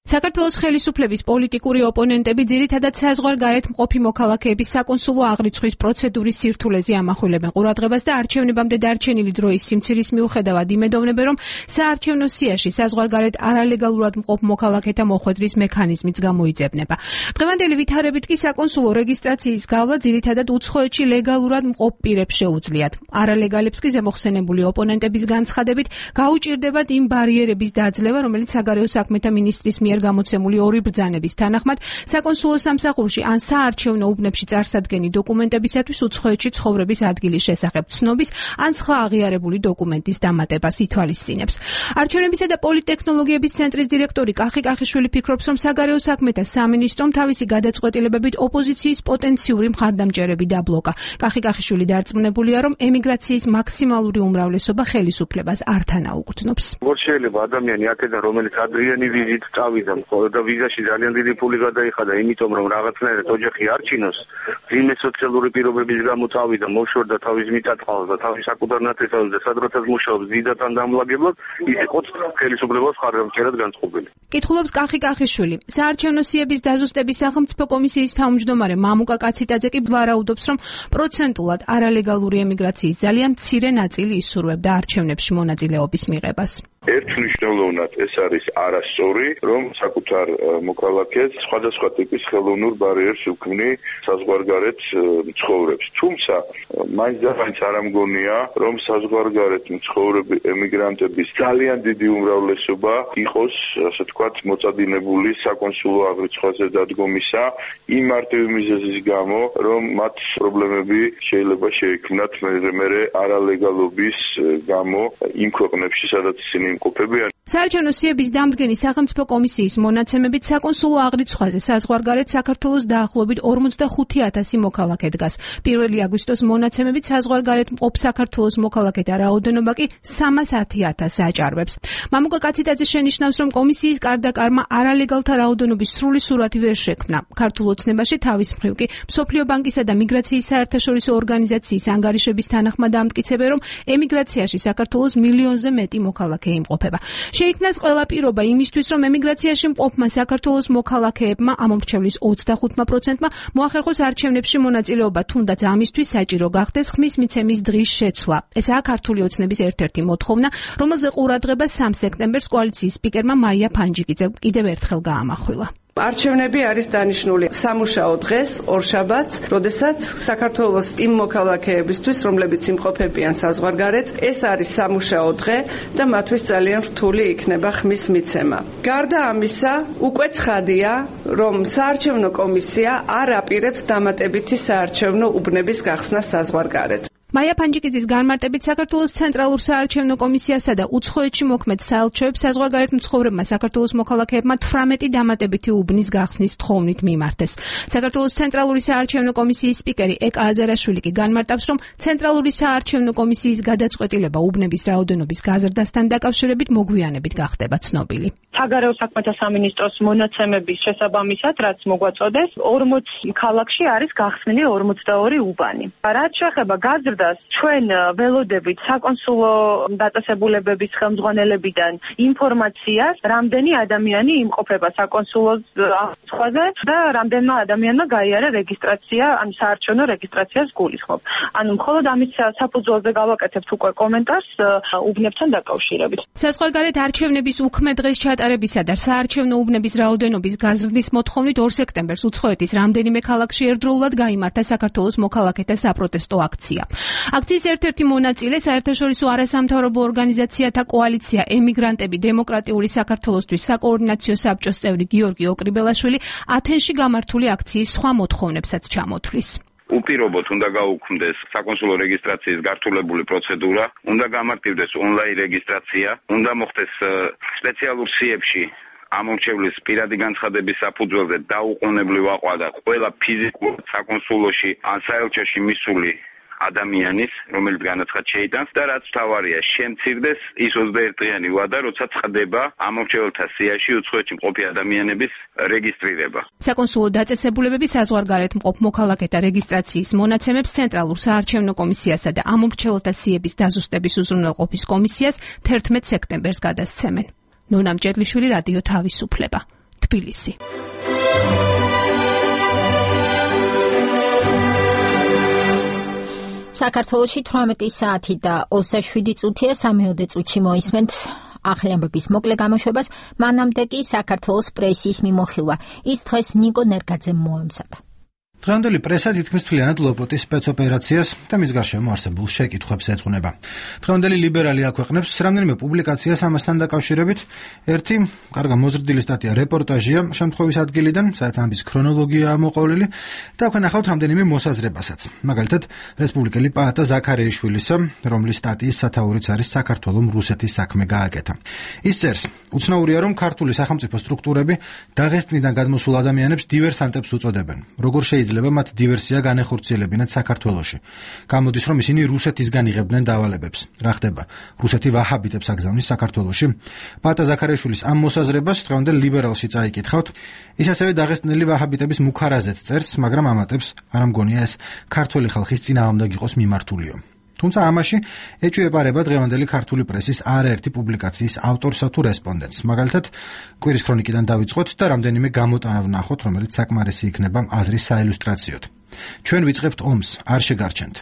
საქართველოს ხელისუფლების პოლიტიკური ოპონენტები ძირითადად საზღვარგარეთ მყოფი მოქალაქეების საკონსულო აღრიცხვის პროცედურის სირთულეზე ამახვილებენ ყურადღებას და არჩევნებამდე დარჩენილი დროის სიმცირის მიუხედავად იმედოვნებენ, რომ საარჩევნო სიაში საზღვარგარეთ არალეგალურად მყოფ მოქალაქეთა მოხვედრის მექანიზმიც გამოიძებნება. დღევანდელი ვითარებით კი საკონსულო რეგისტრაციის გავლა ძირითადად უცხოეთში ლეგალურად მყოფ პირებს შეუძლიათ. არალეგალებს კი ზემოხსენებული ოპონენტების განცხადებით გაუჭირდებათ იმ ბარიერების დაძლევა, რომელიც საგარეო საქმეთა მინისტრის მიერ გამოცემული ორი ბრძანების თანახმად საკონსულო სამსახურში ან საარჩევნო უბნებში წარსადგენი დოკუმენტებისათვის უცხოეთში ცხოვრების ადგილის შესახებ ცნობის ან სხვა აღიარებული დოკუმენტის დამატებას ითვალისწინებს. არჩევნებისა და პოლიტექნოლოგიების ცენტრის დირექტორი კახი კახიშვილი ფიქრობს, რომ საგარეო საქმეთა სამინისტრომ თავისი გადაწყვეტილებებით ოპოზიციის პოტენციური მხარდამჭერები დაბლოკა. კახი კახიშვილი დარწმუნებულია, რომ ემიგრაციის მაქსიმალური უმრავლესობა ხელისუფლებას არ თანაუგრძნობს. როგორ შეიძლება ადამიანი აქედან, რომელიც ადრიანი ვიზით წავიდა და ვიზაში ძალიან დიდი ფული გადაიხადა, იმიტომ რომ რაღაცნაირად ოჯახი არ ჩინოს, ძიმე სოციალური პირობების გამო წავიდა, მოშორდა თავის მიწა-წყალს და თავის საკუთარ ნათესავს და სადროთაც მუშაობს ზიდათან დამლაგებლად, ის იყოს ხელისუფლებას მხარდამჭერად განწყობილი. კითხულობს კახი კახიშვილი. საარჩევნო სიების დაზუსტების სახელმწიფო კომისიის თავმჯდომარე მამუკა კაციტაძე კი ვარაუდობს, რომ პროცენტულად არალეგალური ემიგრაციის ძალიან მცირე ნაწილი ისურვებდა არჩევნებში მონაწილეობის მიღებას. ერთმნიშვნელოვნად ეს არის არასწორი, რომ საკუთარ მოქალაქეს სხვადასხვა ტიპის ხელოვნურ ბარიერს უქმნი საზღვარგარეთ მცხოვრებს. თუმცა მაინც და მაინც არ ამგონია, რომ საზღვარგარეთ მცხოვრები ემიგრანტების ძალიან დიდი უმრავლესობა იყოს, ასე ვთქვათ, მოწადინებული საკონსულო აღრიცხვაზე დადგომისა იმ მარტივი მიზეზის გამო, რომ მათ პრობლემები შეიძლება შეექმნათ მერე არალეგალობის გამო იმ ქვეყნებში, სადაც ისინი იმყოფებიან. საარჩევნო სიების დამდგენი სახელმწიფო კომისიის მონაცემებით საკონსულო აღრიცხვაზე საზღვარგარეთ საქართველოს დაახლოებით 45,000 მოქალაქე დგას. 1 აგვისტოს მონაცემებით საზღვარგარეთ მყოფ საქართველოს მოქალაქეთა რაოდენობა კი 310,000 აჭარბებს. მამუკა კაციტაძე შენიშნავს, რომ კომისიის კარდაკარმა არალეგალთა რაოდენობის სრული სურათი ვერ შექმნა. ქართულ ოცნებაში თავის მხრივ კი მსოფლიო ბანკისა და მიგრაციის საერთაშორისო ორგანიზაციის ანგარიშების თანახმად ამტკიცებენ, რომ ემიგრაციაში საქართველოს მილიონზე მეტი მოქალაქე იმყოფება. შეიქმნას ყველა პირობა იმისთვის, რომ ემიგრაციაში მყოფმა საქართველოს მოქალაქეებმა ამომრჩევლის 25%-მა მოახერხოს არჩევნებში მონაწილეობა, თუნდაც ამისთვის საჭირო გახდეს ხმის მიცემის დღის შეცვლა. ესაა ქართული ოცნების ერთ-ერთი მოთხოვნა, რომელზე ყურადღებას 3 სექტემბერს კოალიციის სპიკერმა მაია ფანჯიკიძემ კიდევ ერთხელ გაამახვილა. არჩევნები არის დანიშნული სამუშაო დღეს, ორშაბათს, როდესაც საქართველოს იმ მოქალაქეებისთვის, რომლებიც იმყოფებიან საზღვარგარეთ, ეს არის სამუშაო დღე და მათთვის ძალიან რთული იქნება ხმის მიცემა. გარდა ამისა, უკვე ცხადია, რომ საარჩევნო კომისია არ აპირებს დამატებითი საარჩევნო უბნების გახსნას საზღვარგარეთ. მაია ფანჯიკიძის განმარტებით საქართველოს ცენტრალურ საარჩევნო კომისიასა და უცხოეთში მოქმედ საელჩოებს საზღვარგარეთ მცხოვრებმა საქართველოს მოქალაქეებმა 18 დამატებითი უბნის გახსნის თხოვნით მიმართეს. საქართველოს ცენტრალური საარჩევნო კომისიის სპიკერი ეკა აზარაშვილი კი განმარტავს, რომ ცენტრალური საარჩევნო კომისიის გადაწყვეტილება უბნების რაოდენობის გაზრდასთან დაკავშირებით მოგვიანებით გახდება ცნობილი. საგარეო საქმეთა სამინისტროს მონაცემების შესაბამისად, რაც მოგვაწოდეს, 40 ქალაქში არის გახსნილი 42 უბანი. რაც შეეხება გაზრდას, ჩვენ ველოდებით საკონსულო დაწესებულებების ხელმძღვანელებიდან ინფორმაციას, რამდენი ადამიანი იმყოფება საკონსულოს აღრიცხვაზე და რამდენმა ადამიანმა გაიარა რეგისტრაცია, ან საარჩევნო რეგისტრაციას გულისხმობ. ანუ მხოლოდ ამის საფუძველზე გავაკეთებთ უკვე კომენტარს უბნებთან დაკავშირებით. საზღვარგარეთ არჩევნების უქმე დღეს ჩატარებისა და საარჩევნო უბნების რაოდენობის გაზრდის მოთხოვნით 2 სექტემბერს უცხოეთის რამდენიმე ქალაქში ერთდროულად გაიმართა საქართველოს მოქალაქეთა საპროტესტო აქცია. აქციის ერთ-ერთი მონაწილე საერთაშორისო არასამთავრობო ორგანიზაციათა კოალიცია ემიგრანტები დემოკრატიული საქართველოსთვის საკოორდინაციო საბჭოს წევრი გიორგი ოკრიბელაშვილი ათენში გამართული აქციის სხვა მოთხოვნებსაც ჩამოთვლის. უპირობოდ უნდა გაუქმდეს საკონსულო რეგისტრაციის გართულებული პროცედურა, უნდა გამარტივდეს ონლაინ რეგისტრაცია, უნდა მოხდეს სპეციალურ სიებში ამომრჩევლის პირადი განცხადების საფუძველზე დაუყოვნებლივ აყვანა ყველა ფიზიკურ საკონსულოში ან საელჩოში მისული ადამიანის, რომელიც განაცხად შეიტანს და რაც თავარია, შემცირდეს ის 21 დღიანი ვადა, როცა წყდება ამომრჩეველთა სიაში უცხოეთში მყოფი ადამიანების რეგისტრირება. საკონსულო დაწესებულებები საზღვარგარეთ მყოფ მოქალაქეთა რეგისტრაციის მონაცემებს ცენტრალურ საარჩევნო კომისიასა და ამომრჩეველთა სიების დაზუსტების უზრუნველყოფის კომისიას 11 სექტემბერს გადასცემენ. ნონა მჭედლიშვილი, რადიო თავისუფლება, თბილისი. საქართველოში 18 საათი და 27 წუთია, 3 წუთში მოისმენთ ახალი ამბების მოკლე გამოშვებას, მანამდე კი საქართველოს პრესის მიმოხილვა. ის დღეს ნიკო ნერგაძემ მოემზადა. დღევანდელი პრესა თითქმის მთლიანად ლოპოტის სპეცოპერაციას და მის გარშემო არსებულ შეკითხვებს ეძღვნება. დღევანდელი ლიბერალი აქვეყნებს რამდენიმე პუბლიკაციას ამასთან დაკავშირებით. ერთი კარგა მოზრდილი სტატია რეპორტაჟია შემთხვევის ადგილიდან, სადაც ამბის ქრონოლოგიაა მოყოლილი და აქვე ნახავთ რამდენიმე მოსაზრებასაც. მაგალითად, რესპუბლიკელი პაატა ზაქარიაშვილის, რომლის სტატიის სათაურიც არის საქართველოს რუსეთის საქმე გააკეთა. ის წერს, უცნაურია, რომ ქართული სახელმწიფო სტრუქტურები დაღესტნიდან გადმოსულ ადამიანებს დივერსანტებს უწოდებენ. როგორ შეიძლება მათ დივერსია განეხორციელებინათ საქართველოში. გამოდის, რომ ისინი რუსეთისგან იღებდნენ დავალებებს. რა ხდება? რუსეთი ვაჰაბიტებს აგზავნის საქართველოში. პაატა ზაქარიაშვილის ამ მოსაზრებას დღევანდელ ლიბერალში წაიკითხავთ. ის ასევე დაღესტნელი ვაჰაბიტების მუქარაზეც წერს, მაგრამ ამატებს, არ მგონია ეს ქართული ხალხის წინააღმდეგ იყოს მიმართულიო. თუმცა ამაში ეჭვიებარება დღევანდელი ქართული პრესის არაერთი პუბლიკაციის ავტორსა თუ რესპონდენტს. მაგალითად, კვირის ქრონიკიდან დავიწყოთ და რამდენიმე გამოტანა ვნახოთ, რომელიც საკმარისი იქნება აზრის საილუსტრაციოდ. ჩვენ ვიწყებთ ომს, არ შეგარჩენთ.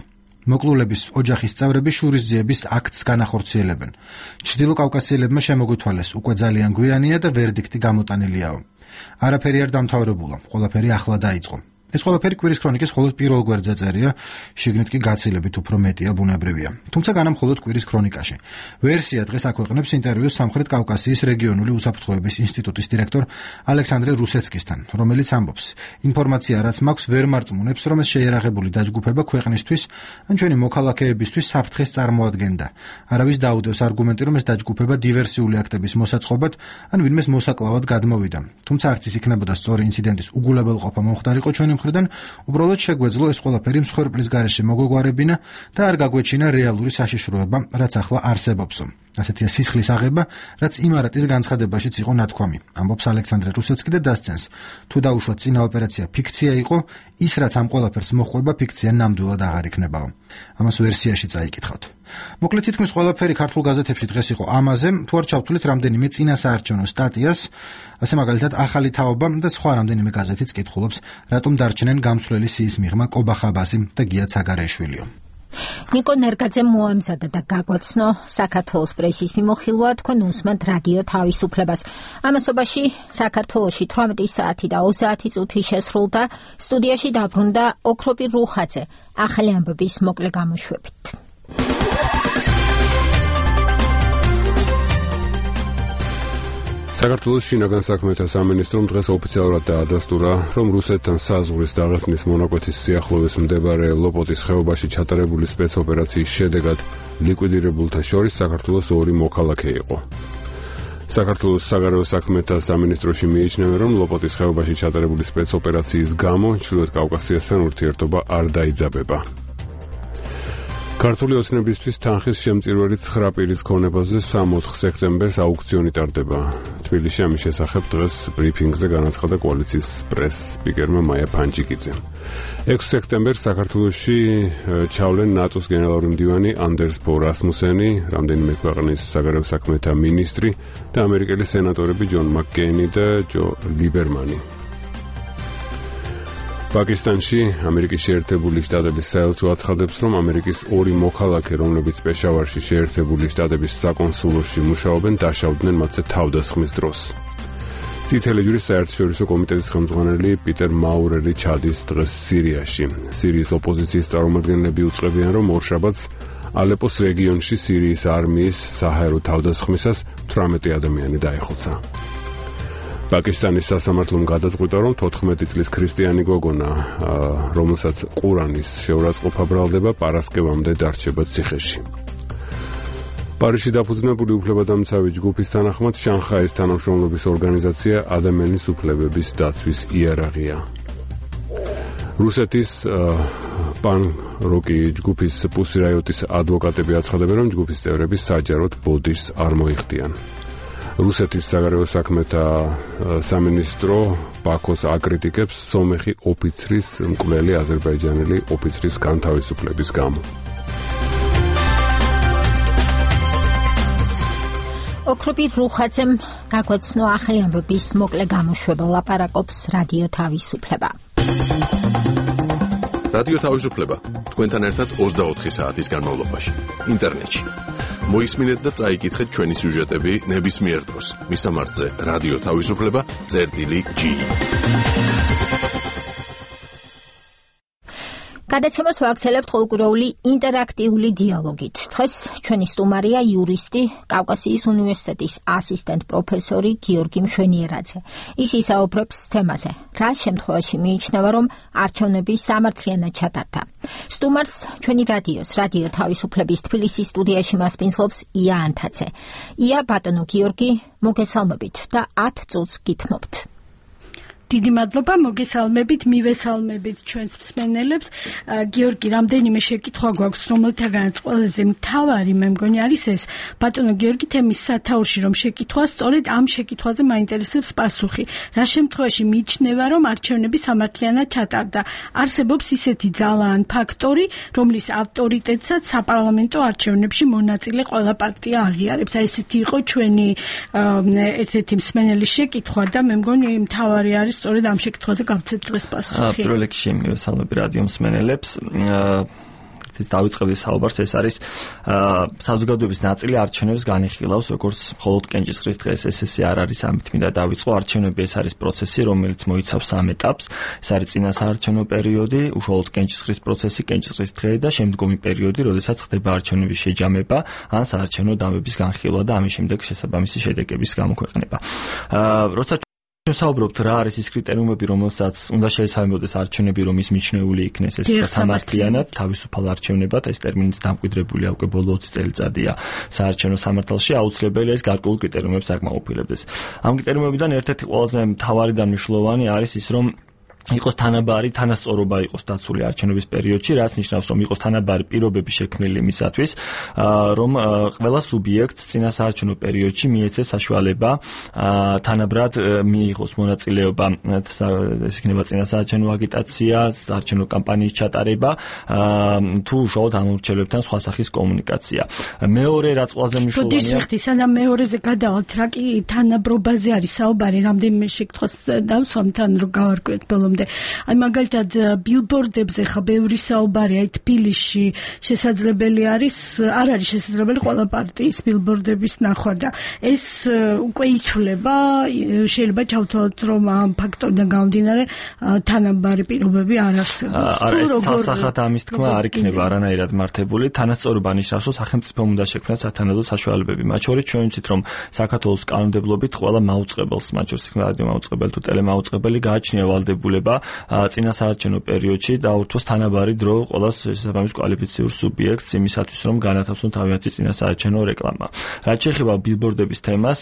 მოკლულების ოჯახის წევრები შურისძიების აქტს განახორციელებენ. ჩრდილო კავკასიელებმა შემოგვითვალეს, უკვე ძალიან გვიანია და ვერდიქტი გამოტანილიაო. არაფერი არ დამთავრებულა, ყველაფერი ახლა დაიწყო. ეს ყველაფერი კვირის ქრონიკის მხოლოდ პირველ გვერდზე წერია, შიგნით კი გაცილებით უფრო მეტია ბუნებრივია. თუმცა განა მხოლოდ კვირის ქრონიკაში. ვერსია დღეს აქვეყნებს ინტერვიუს სამხრეთ კავკასიის რეგიონული უსაფრთხოების ინსტიტუტის დირექტორ ალექსანდრე რუსეცკისთან, რომელიც ამბობს, ინფორმაცია რაც მაქვს ვერ მარწმუნებს, რომ ეს შეიარაღებული დაჯგუფება ქვეყნისთვის ან ჩვენი მოქალაქეებისთვის საფრთხეს წარმოადგენდა. არავის დაუდევს არგუმენტი, რომ ეს დაჯგუფება დივერსიული აქტების მოსაწყობად ან ვინმეს მოსაკლავად გადმოვიდა. თუმცა არც ის იქნებოდა სწორი ინციდენტის უგულებელყოფა მომხდარიყო ჩვენი მხრიდან, უბრალოდ შეგვეძლო ეს ყველაფერი მსხვერპლის გარეშე მოგვეგვარებინა და არ გაგვეჩინა რეალური საშიშროება, რაც ახლა არსებობსო. ასეთია სისხლის აღება, რაც იმარატის განცხადებაშიც იყო ნათქვამი, ამბობს ალექსანდრე რუსეცკი და დასცენს, თუ დაუშვათ წინა ოპერაცია ფიქცია იყო, ის რაც ამ ყველაფერს მოჰყვება ფიქცია ნამდვილად აღარ იქნებაო. ამას ვერსიაში წაიკითხავთ. მოკლედ თითქმის ყველაფერი ქართულ გაზეთებში დღეს იყო ამაზე, თუ არ ჩავთვლით რამდენიმე წინასაარჩევნო სტატიას, ასე მაგალითად ახალი თაობა და სხვა რამდენიმე გაზეთიც კითხულობს, რატომ დარჩნენ გამსვლელი სიის მიღმა კობა ხაბასი და გია ცაგარეშვილიო. ნიკო ნერგაძემ მოამზადა და გაგვაცნო საქართველოს პრესის მიმოხილვა, თქვენ უსმენთ რადიო თავისუფლებას. ამასობაში საქართველოში 18 საათი და 30 წუთი შესრულდა, სტუდიაში დაბრუნდა ოქროპი რუხაძე, ახალი ამბების მოკლე გამოშვებით. საქართველოს შინაგან საქმეთა სამინისტრომ დღეს ოფიციალურად დაადასტურა, რომ რუსეთთან საზღვრის დაღესტნის მონაკვეთის სიახლოვეს მდებარე ლოპოტის ხეობაში ჩატარებული სპეცოპერაციის შედეგად ლიკვიდირებულთა შორის საქართველოს 2 მოქალაქე იყო. საქართველოს საგარეო საქმეთა სამინისტროში მიიჩნევენ, რომ ლოპოტის ხეობაში ჩატარებული სპეცოპერაციის გამო ჩრდილოეთ კავკასიასთან ურთიერთობა არ დაიძაბება. ქართული ოცნებისთვის თანხის შემწირველი 9 პირის ქონებაზე 3-4 სექტემბერს აუქციონი ტარდება. თბილისში ამის შესახებ დღეს ბრიფინგზე განაცხადა კოალიციის პრეს-სპიკერმა მაია ფანჯიკიძემ. 6 სექტემბერს საქართველოში ჩავლენ ნატოს გენერალური მდივანი ანდერს ბო რასმუსენი, რამდენიმე ქვეყნის საგარეო საქმეთა მინისტრი და ამერიკელი სენატორები ჯონ მაკკეინი და ჯო ლიბერმანი. პაკისტანში ამერიკის შეერთებული შტატების საელჩო აცხადებს, რომ ამერიკის 2 მოქალაქე, რომლებიც პეშავარში შეერთებული შტატების საკონსულოში მუშაობენ, დაშავდნენ მათზე თავდასხმის დროს. წითელი ჯვრის საერთაშორისო კომიტეტის ხელმძღვანელი პიტერ მაურერი ჩადის დღეს სირიაში. სირიის ოპოზიციის წარმომადგენლები უწყებიან, რომ ორშაბათს ალეპოს რეგიონში სირიის არმიის საჰაერო თავდასხმისას 18 ადამიანი დაიხოცა. პაკისტანის სასამართლომ გადაწყვიტა, რომ 14 წლის ქრისტიანი გოგონა, რომელსაც ყურანის შეურაცხყოფა ბრალდება, პარასკევამდე დარჩება ციხეში. პარიზში დაფუძნებული უფლებადამცავი ჯგუფის თანახმად შანხაის თანამშრომლობის ორგანიზაცია ადამიანის უფლებების დაცვის იარაღია. რუსეთის პან-როკი ჯგუფის პუსი რაიოტის ადვოკატები აცხადებენ, რომ ჯგუფის წევრები საჯაროდ ბოდიშს არ მოიხდიან. რუსეთის საგარეო საქმეთა სამინისტრო ბაქოს აკრიტიკებს სომეხი ოფიცრის მკვლელი აზერბაიჯანელი ოფიცრის განთავისუფლების გამო. ოქროპი რუხაძემ გაგვაცნო ახალი ამბების მოკლე გამოშვება, ლაპარაკობს რადიო თავისუფლება. რადიო თავისუფლება თქვენთან ერთად 24 საათის განმავლობაში ინტერნეტში. მოისმინეთ და წაიკითხეთ ჩვენი სიუჟეტები ნებისმიერ დროს. მისამართზე რადიო თავისუფლება.gi. გადაცემას ვაგრძელებთ ყოველკვირეული ინტერაქტიული დიალოგით. დღეს ჩვენი სტუმარია იურისტი, კავკასიის უნივერსიტეტის ასისტენტ პროფესორი გიორგი მშვენიერაძე. ის ისაუბრებს თემაზე, რა შემთხვევაში მიიჩნევა, რომ არჩევნები სამართლიანად ჩატარდა. სტუმარს ჩვენი რადიო თავისუფლების თბილისის სტუდიაში მასპინძლობს ია ანთაძე. ია, ბატონო გიორგი, მოგესალმებით და 10 წუთს გითმობთ. დიდი მადლობა, მოგესალმებით, მივესალმებით ჩვენს მსმენელებს. გიორგი, რამდენიმე შეკითხვა გვაქვს, რომელთაგანაც ყველაზე მთავარი მე მგონი არის ეს. ბატონო გიორგი, თემის სათაურში რომ შეკითხვა, სწორედ ამ შეკითხვაზე მაინტერესებს პასუხი. რა შემთხვევაში მიიჩნევა, რომ არჩევნები სამართლიანად ჩატარდა? არსებობს ისეთი ძალა ან ფაქტორი, რომლის ავტორიტეტსაც საპარლამენტო არჩევნებში მონაწილე ყველა პარტია აღიარებს. აი ესეთი იყო ჩვენი ერთ-ერთი მსმენელის შეკითხვა და მე მგონი მთავარი არის სწორედ ამ შეკითხვაზე გავცეთ დღეს პასუხი. პირველ რიგში მივესალმები რადიო მსმენელებს. რომელთაც დავიწყებდი საუბარს, ეს არის საზოგადოების ნაწილი არჩევნებს განიხილავს, როგორც მხოლოდ კენჭისყრის დღეს. ეს არ არის ამით მინდა დავიწყო. არჩევნები ეს არის პროცესი, რომელიც მოიცავს 3 ეტაპს. ეს არის წინა საარჩევნო პერიოდი, უშუალოდ კენჭისყრის პროცესი, კენჭისყრის დღე და შემდგომი პერიოდი, როდესაც ხდება არჩევნების შეჯამება, ან საარჩევნო დამების განხილვა და ამის შემდეგ შესაბამისი შედეგების გამოქვეყნება. როცა საუბრობთ რა არის ის კრიტერიუმები, რომელსაც უნდა შეესაბამებოდეს არჩევნები, რომ ის მიჩნეული იქნეს ეს სამართლიანად, თავისუფალ არჩევნებად, ეს ტერმინიც დამკვიდრებული უკვე ბოლო 20 წელიწადია საარჩევნო სამართალში, აუცილებელია ეს გარკვეულ კრიტერიუმებს აკმაყოფილებდეს. ამ კრიტერიუმებიდან ერთ-ერთი ყველაზე მთავარი და მნიშვნელოვანი არის ის, რომ იყოს თანაბარი თანასწორობა იყოს დაცული არჩევნების პერიოდში, რაც ნიშნავს, რომ იყოს თანაბარი პირობები შექმნილი მისათვის, რომ ყველა სუბიექტს წინა საარჩევნო პერიოდში მიეცეს საშუალება თანაბრად მიიღოს მონაწილეობა, ეს იქნება წინა საარჩევნო აგიტაცია, საარჩევნო კამპანიის ჩატარება, თუ უშუალოდ ამორჩელებთან სხვა სახის კომუნიკაცია. მეორე რაც ყველაზე მნიშვნელოვანია, სანამ მეორეზე გადავალთ, რა კი თანაბრობაზე არის საუბარი, რამდენიმე შეკითხვას დავსვამთან რომ გავარკვიოთ ბოლომდე. აი მაგალითად ბილბორდებზე ხა ბევრი საუბარია, თბილისში შესაძლებელი არის, არ არის შესაძლებელი ყველა პარტიის ბილბორდების ნახვა და ეს უკვე იცვლება, შეიძლება ჩავთვალოთ, რომ ამ ფაქტორიდან გამომდინარე თანაბარი პირობები არ არსებობს. არა, ეს სასახად ამის თქმა არ იქნება არანაირად მართებული. თანასწორობა ნიშნავს, რომ სახელმწიფომ უნდა შექმნას სათანადო საშუალებები. მათ შორის ჩვენ ვიცით, რომ საქართველოს კანონმდებლობით ყველა მაუწყებელს, მათ შორის რადიო მაუწყებელი თუ ტელემაუწყებელი გააჩნია ვალდებულება წინა საარჩევნო პერიოდში დაურთოს თანაბარი დრო ყველა შესაბამის კვალიფიციურ სუბიექტს იმისათვის, რომ განათავსონ თავიანთი წინა საარჩევნო რეკლამა. რაც შეეხება ბილბორდების თემას,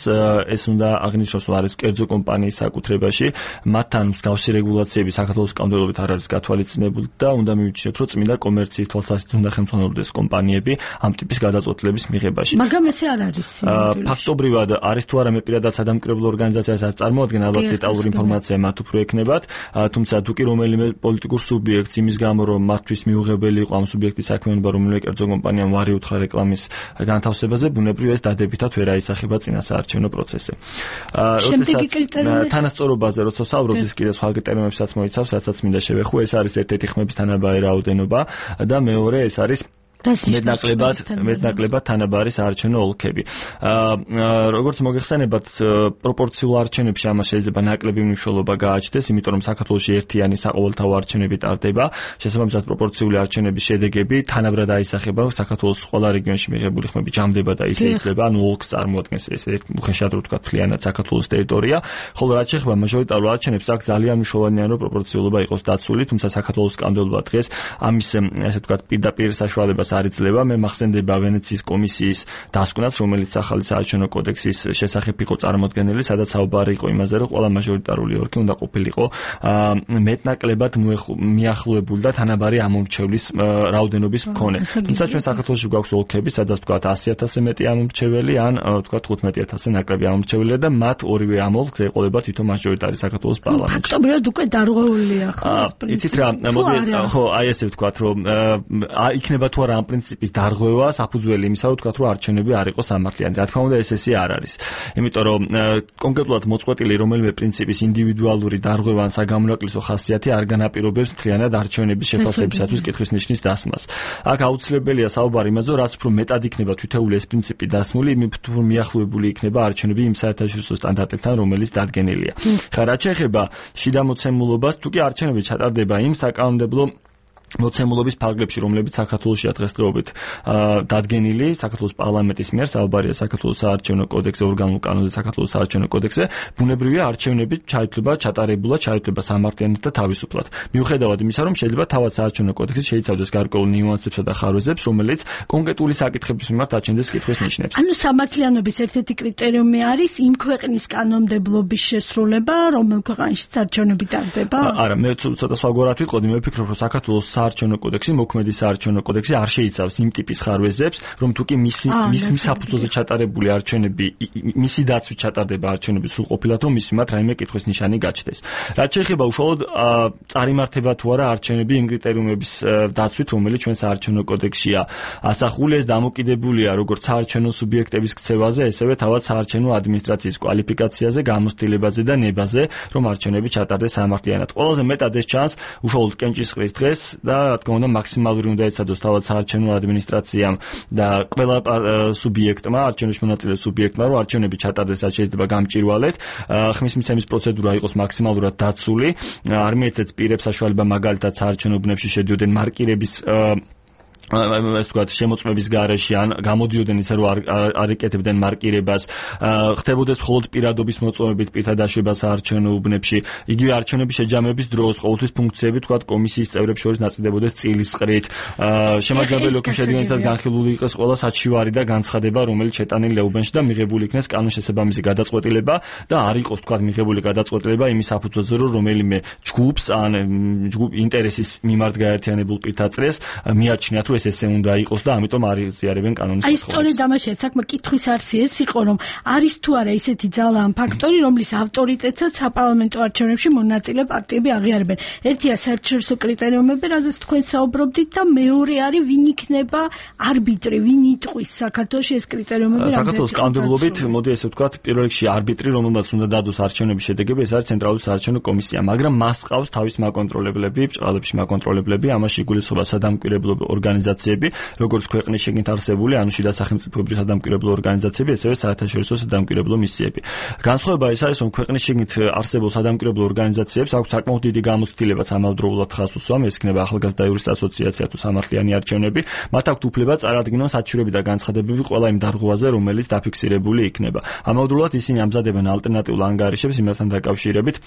ეს უნდა აღნიშნოს, რომ არის კერძო კომპანიის საკუთრებაში, მათთან მსგავსი რეგულაციები საქართველოს კანონმდებლობით არ არის გათვალისწინებული და უნდა მივიჩნიოთ, რომ წმინდა კომერციის თვალსაზრისით უნდა ხელმძღვანელობდეს კომპანიები ამ ტიპის გადაწყვეტილების მიღებაში. მაგრამ ესე არ არის. ფაქტობრივად არის თუ არა მე პირადად სადამკვირვებლო ორგანიზაციას არ წარმოადგენ, ალბათ დეტალური ინფორმაცია მათ უფრო ექნებათ. თუმცა თუ კი რომელიმე პოლიტიკურ სუბიექტს იმის გამო, რომ მათთვის მიუღებელი იყო ამ სუბიექტის საქმიანობა, რომელიმე კერძო კომპანიამ ვარი უთხრა რეკლამის განთავსებაზე, ბუნებრივია ეს დადებითად ვერ აისახება წინა საარჩევნო პროცესზე. თანასწორობაზე როცა ვსაუბრობთ, ის კიდე სხვა კრიტერიუმებსაც მოიცავს, რასაც მინდა შევეხო, ეს არის ერთ-ერთი ხმების თანაბარი რაოდენობა და მეორე ეს არის მეტნაკლებად თანაბარი საარჩევნო ოლქები. როგორც მოგეხსენებათ, პროპორციულ არჩევნებში ამას შეიძლება ნაკლები მნიშვნელობა გააჩნდეს, იმიტომ რომ საქართველოში ერთიანი საყოველთაო არჩევნები ტარდება. შესაბამისად, პროპორციული არჩევნების შედეგები თანაბრად აისახება საქართველოს ყველა რეგიონში მიღებული ხმები ჯამდება და ისე იქნება, ანუ ოლქს წარმოადგენს ესე უხეშად რო ვთქვათ მთლიანად საქართველოს ტერიტორია. ხოლო რაც შეეხება მაჟორიტარულ არჩევნებს, აქ ძალიან მნიშვნელოვანია, რომ პროპორციულობა იყოს დაცული, თუმცა საქართველოს კანონმდებლობა დღეს ამის ესე ვთქვათ პირდაპირ საშუალებას არ იძლევა. მე მახსენდება ვენეციის კომისიის დასკვნას, რომელიც ახალი საარჩევნო კოდექსის შესახებ იყო წარმოდგენილი, სადაც საუბარი იყო იმაზე, რომ ყველა მაჟორიტარული ოლქი უნდა ყოფილიყო მეტნაკლებად მიახლოებული და თანაბარი ამომრჩევლის რაოდენობის მქონე. თუმცა ჩვენ საქართველოში გვაქვს ოლქები, სადაც ვთქვათ 100,000-ზე მეტი ამომრჩეველი, ან ვთქვათ 15,000-ზე ნაკლები ამომრჩეველია და მათ ორივე ამ ოლქს ეყოლება თვითონ მაჟორიტარი საქართველოს პარლამენტში. ფაქტობრივად უკვე დარღვეულია ხო ეს პრინციპი. იცით რა, მოდი ხო აი ესე ვთქვათ, რომ იქნება თუ არა ამ პრინციპის დარღვევა საფუძველი იმისა, რომ ვთქვათ, რომ არჩევნები არ იყოს სამართლიანი. რა თქმა უნდა, ესე არ არის. იმიტომ რომ კონკრეტულად მოწყვეტილი რომელიმე პრინციპის ინდივიდუალური დარღვევა ან საგამონაკლისო ხასიათი არ განაპირობებს მთლიანად არჩევნების შეფასებისათვის კითხვის ნიშნის დასმას. აქ აუცილებელია საუბარი იმაზე, რაც უფრო მეტად იქნება თითოეული ეს პრინციპი დასმული, იმით უფრო მიახლოებული იქნება არჩევნები იმ საერთაშორისო სტანდარტებთან, რომელიც დადგენილია. ხა რაც შეეხება შიდა მოცემულობას, თუ კი არჩევნები ჩატარდება იმ საკანონმდებლო მოცემულობის ფარგლებში, რომლებიც საქართველოსია დღესდღეობით დადგენილი საქართველოს პარლამენტის მიერ, საუბარია საქართველოს საარჩევნო კოდექსზე, ორგანულ კანონზე, საქართველოს საარჩევნო კოდექსზე, ბუნებრივია არჩევნები ჩაითვლება სამართლიანად და თავისუფლად. მიუხედავად იმისა, რომ შეიძლება თავად საარჩევნო კოდექსი შეიცავდეს გარკვეულ ნიუანსებსა და ხარვეზებს, რომელიც კონკრეტული საკითხების მიმართ აჩენდეს კითხვის ნიშნებს. ანუ სამართლიანობის ერთ-ერთი კრიტერიუმი არის იმ ქვეყნის კანონმდებლობის შესრულება, რომელ ქვეყანაში საარჩევნები ტარდება? არა, მე ცოტა სხვაგვარად ვიყოდი, მე ვფიქრობ, რომ საქართველოს საარჩევნო კოდექსი, მოქმედი საარჩევნო კოდექსი არ შეიცავს იმ ტიპის ხარვეზებს, რომ თუკი მისი საფუძველზე ჩატარებული არჩევნები, მისი დაცვით ჩატარდება არჩევნები სრულყოფილად, რომ მის მიმართ რაიმე კითხვის ნიშანი გაჩნდეს. რაც შეეხება უშუალოდ წარიმართება თუ არა არჩევნები იმ კრიტერიუმების დაცვით, რომელიც ჩვენ საარჩევნო კოდექსშია ასახული, ეს დამოკიდებულია როგორც საარჩევნო სუბიექტების ქცევაზე, ესევე თავად საარჩევნო ადმინისტრაციის კვალიფიკაციაზე, გამოცდილებაზე და ნებაზე, რომ არჩევნები ჩატარდეს სამართლიანად. ყველაზე მეტად ეს ჩანს უშუალოდ კენჭისყრის დღეს და რა თქმა უნდა მაქსიმალური უნდა ეცადოს თავად საარჩევნო ადმინისტრაციამ და ყველა სუბიექტმა, არჩევნებში მონაწილე სუბიექტმა, რომ არჩევნები ჩატარდეს, რაც შეიძლება გამჭირვალედ, ხმის მიცემის პროცედურა იყოს მაქსიმალურად დაცული, არ მიეცეთ პირებს საშუალება მაგალითად საარჩევნო უბნებში შედიოდნენ მარკირების ეს თქვა შემოწმების გარეშე ან გამოდიოდნენ ისე რომ არ იკეთებდნენ მარკირებას, ხდებოდეს მხოლოდ პირადობის მოწვევებით პირთა დაშვება საარჩევნო უბნებში, იგივე არჩევნების შეჯამების დროს ყოველთვის ფუნქციები თქვა კომისიის წევრებს შორის ნაწილდებოდეს წილისყრით, შემაჯამებელი ოკი შედგენისას განხილული იყოს ყველა საჩივარი და განცხადება, რომელიც შეტანილი ლეუბანში და მიღებული იქნეს კანონშესაბამისი გადაწყვეტილება და არ იყოს თქვა მიღებული გადაწყვეტილება იმის საფუძველზე, რომ რომელიმე ჯგუფს ან ჯგუფ ინტერესის მიმართ გაერთიანებულ პირთა წრეს მიაჩნიათ რომ ესე უნდა იყოს და ამიტომ არ იზიარებენ კანონის აი სწორედ ამაშია საქმე, კითხვის არსი ეს იყო რომ არის თუ არა ისეთი ძალა ან ფაქტორი რომლის ავტორიტეტსაც საპარლამენტო არჩევნებში მონაწილე პარტიები აღიარებენ. ერთია საერთაშორისო კრიტერიუმები, რაზეც თქვენ საუბრობდით და მეორე არის ვინ იქნება არბიტრი, ვინ იტყვის საქართველოში ეს კრიტერიუმები საქართველოს კანონმდებლობით, მოდი ესე ვთქვათ, პირველ რიგში არბიტრი, რომელმაც უნდა დადოს არჩევნების შედეგები, ეს არის ცენტრალური საარჩევნო კომისია, მაგრამ მას ყავს თავის მაკონტროლებლები, ბჭყალებში მაკონტროლებლები, ამაში იგულისხმება სადამკვირვებლო ორგანიზაციები, როგორც ქვეყნის შიგნით არსებული, ანუ შიდა სახელმწიფოებრივი სადამკვირვებლო ორგანიზაციები, ესევე საერთაშორისო სადამკვირვებლო მისიები. განსხვავება ის არის, რომ ქვეყნის შიგნით არსებულ სადამკვირვებლო ორგანიზაციებს აქვს საკმაოდ დიდი გამოცდილებაც ამავდროულად ხაზს უსვამ, ეს იქნება ახალგაზრდა იურისტთა ასოციაცია თუ სამართლიანი არჩევნები, მათ აქვთ უფლება წარადგინონ საჩივრები და განცხადებები ყველა იმ დარღვევაზე, რომელიც დაფიქსირებული იქნება. ამავდროულად ისინი ამზადებენ ალტერნატიულ ანგარიშებს იმასთან დაკავშირებით,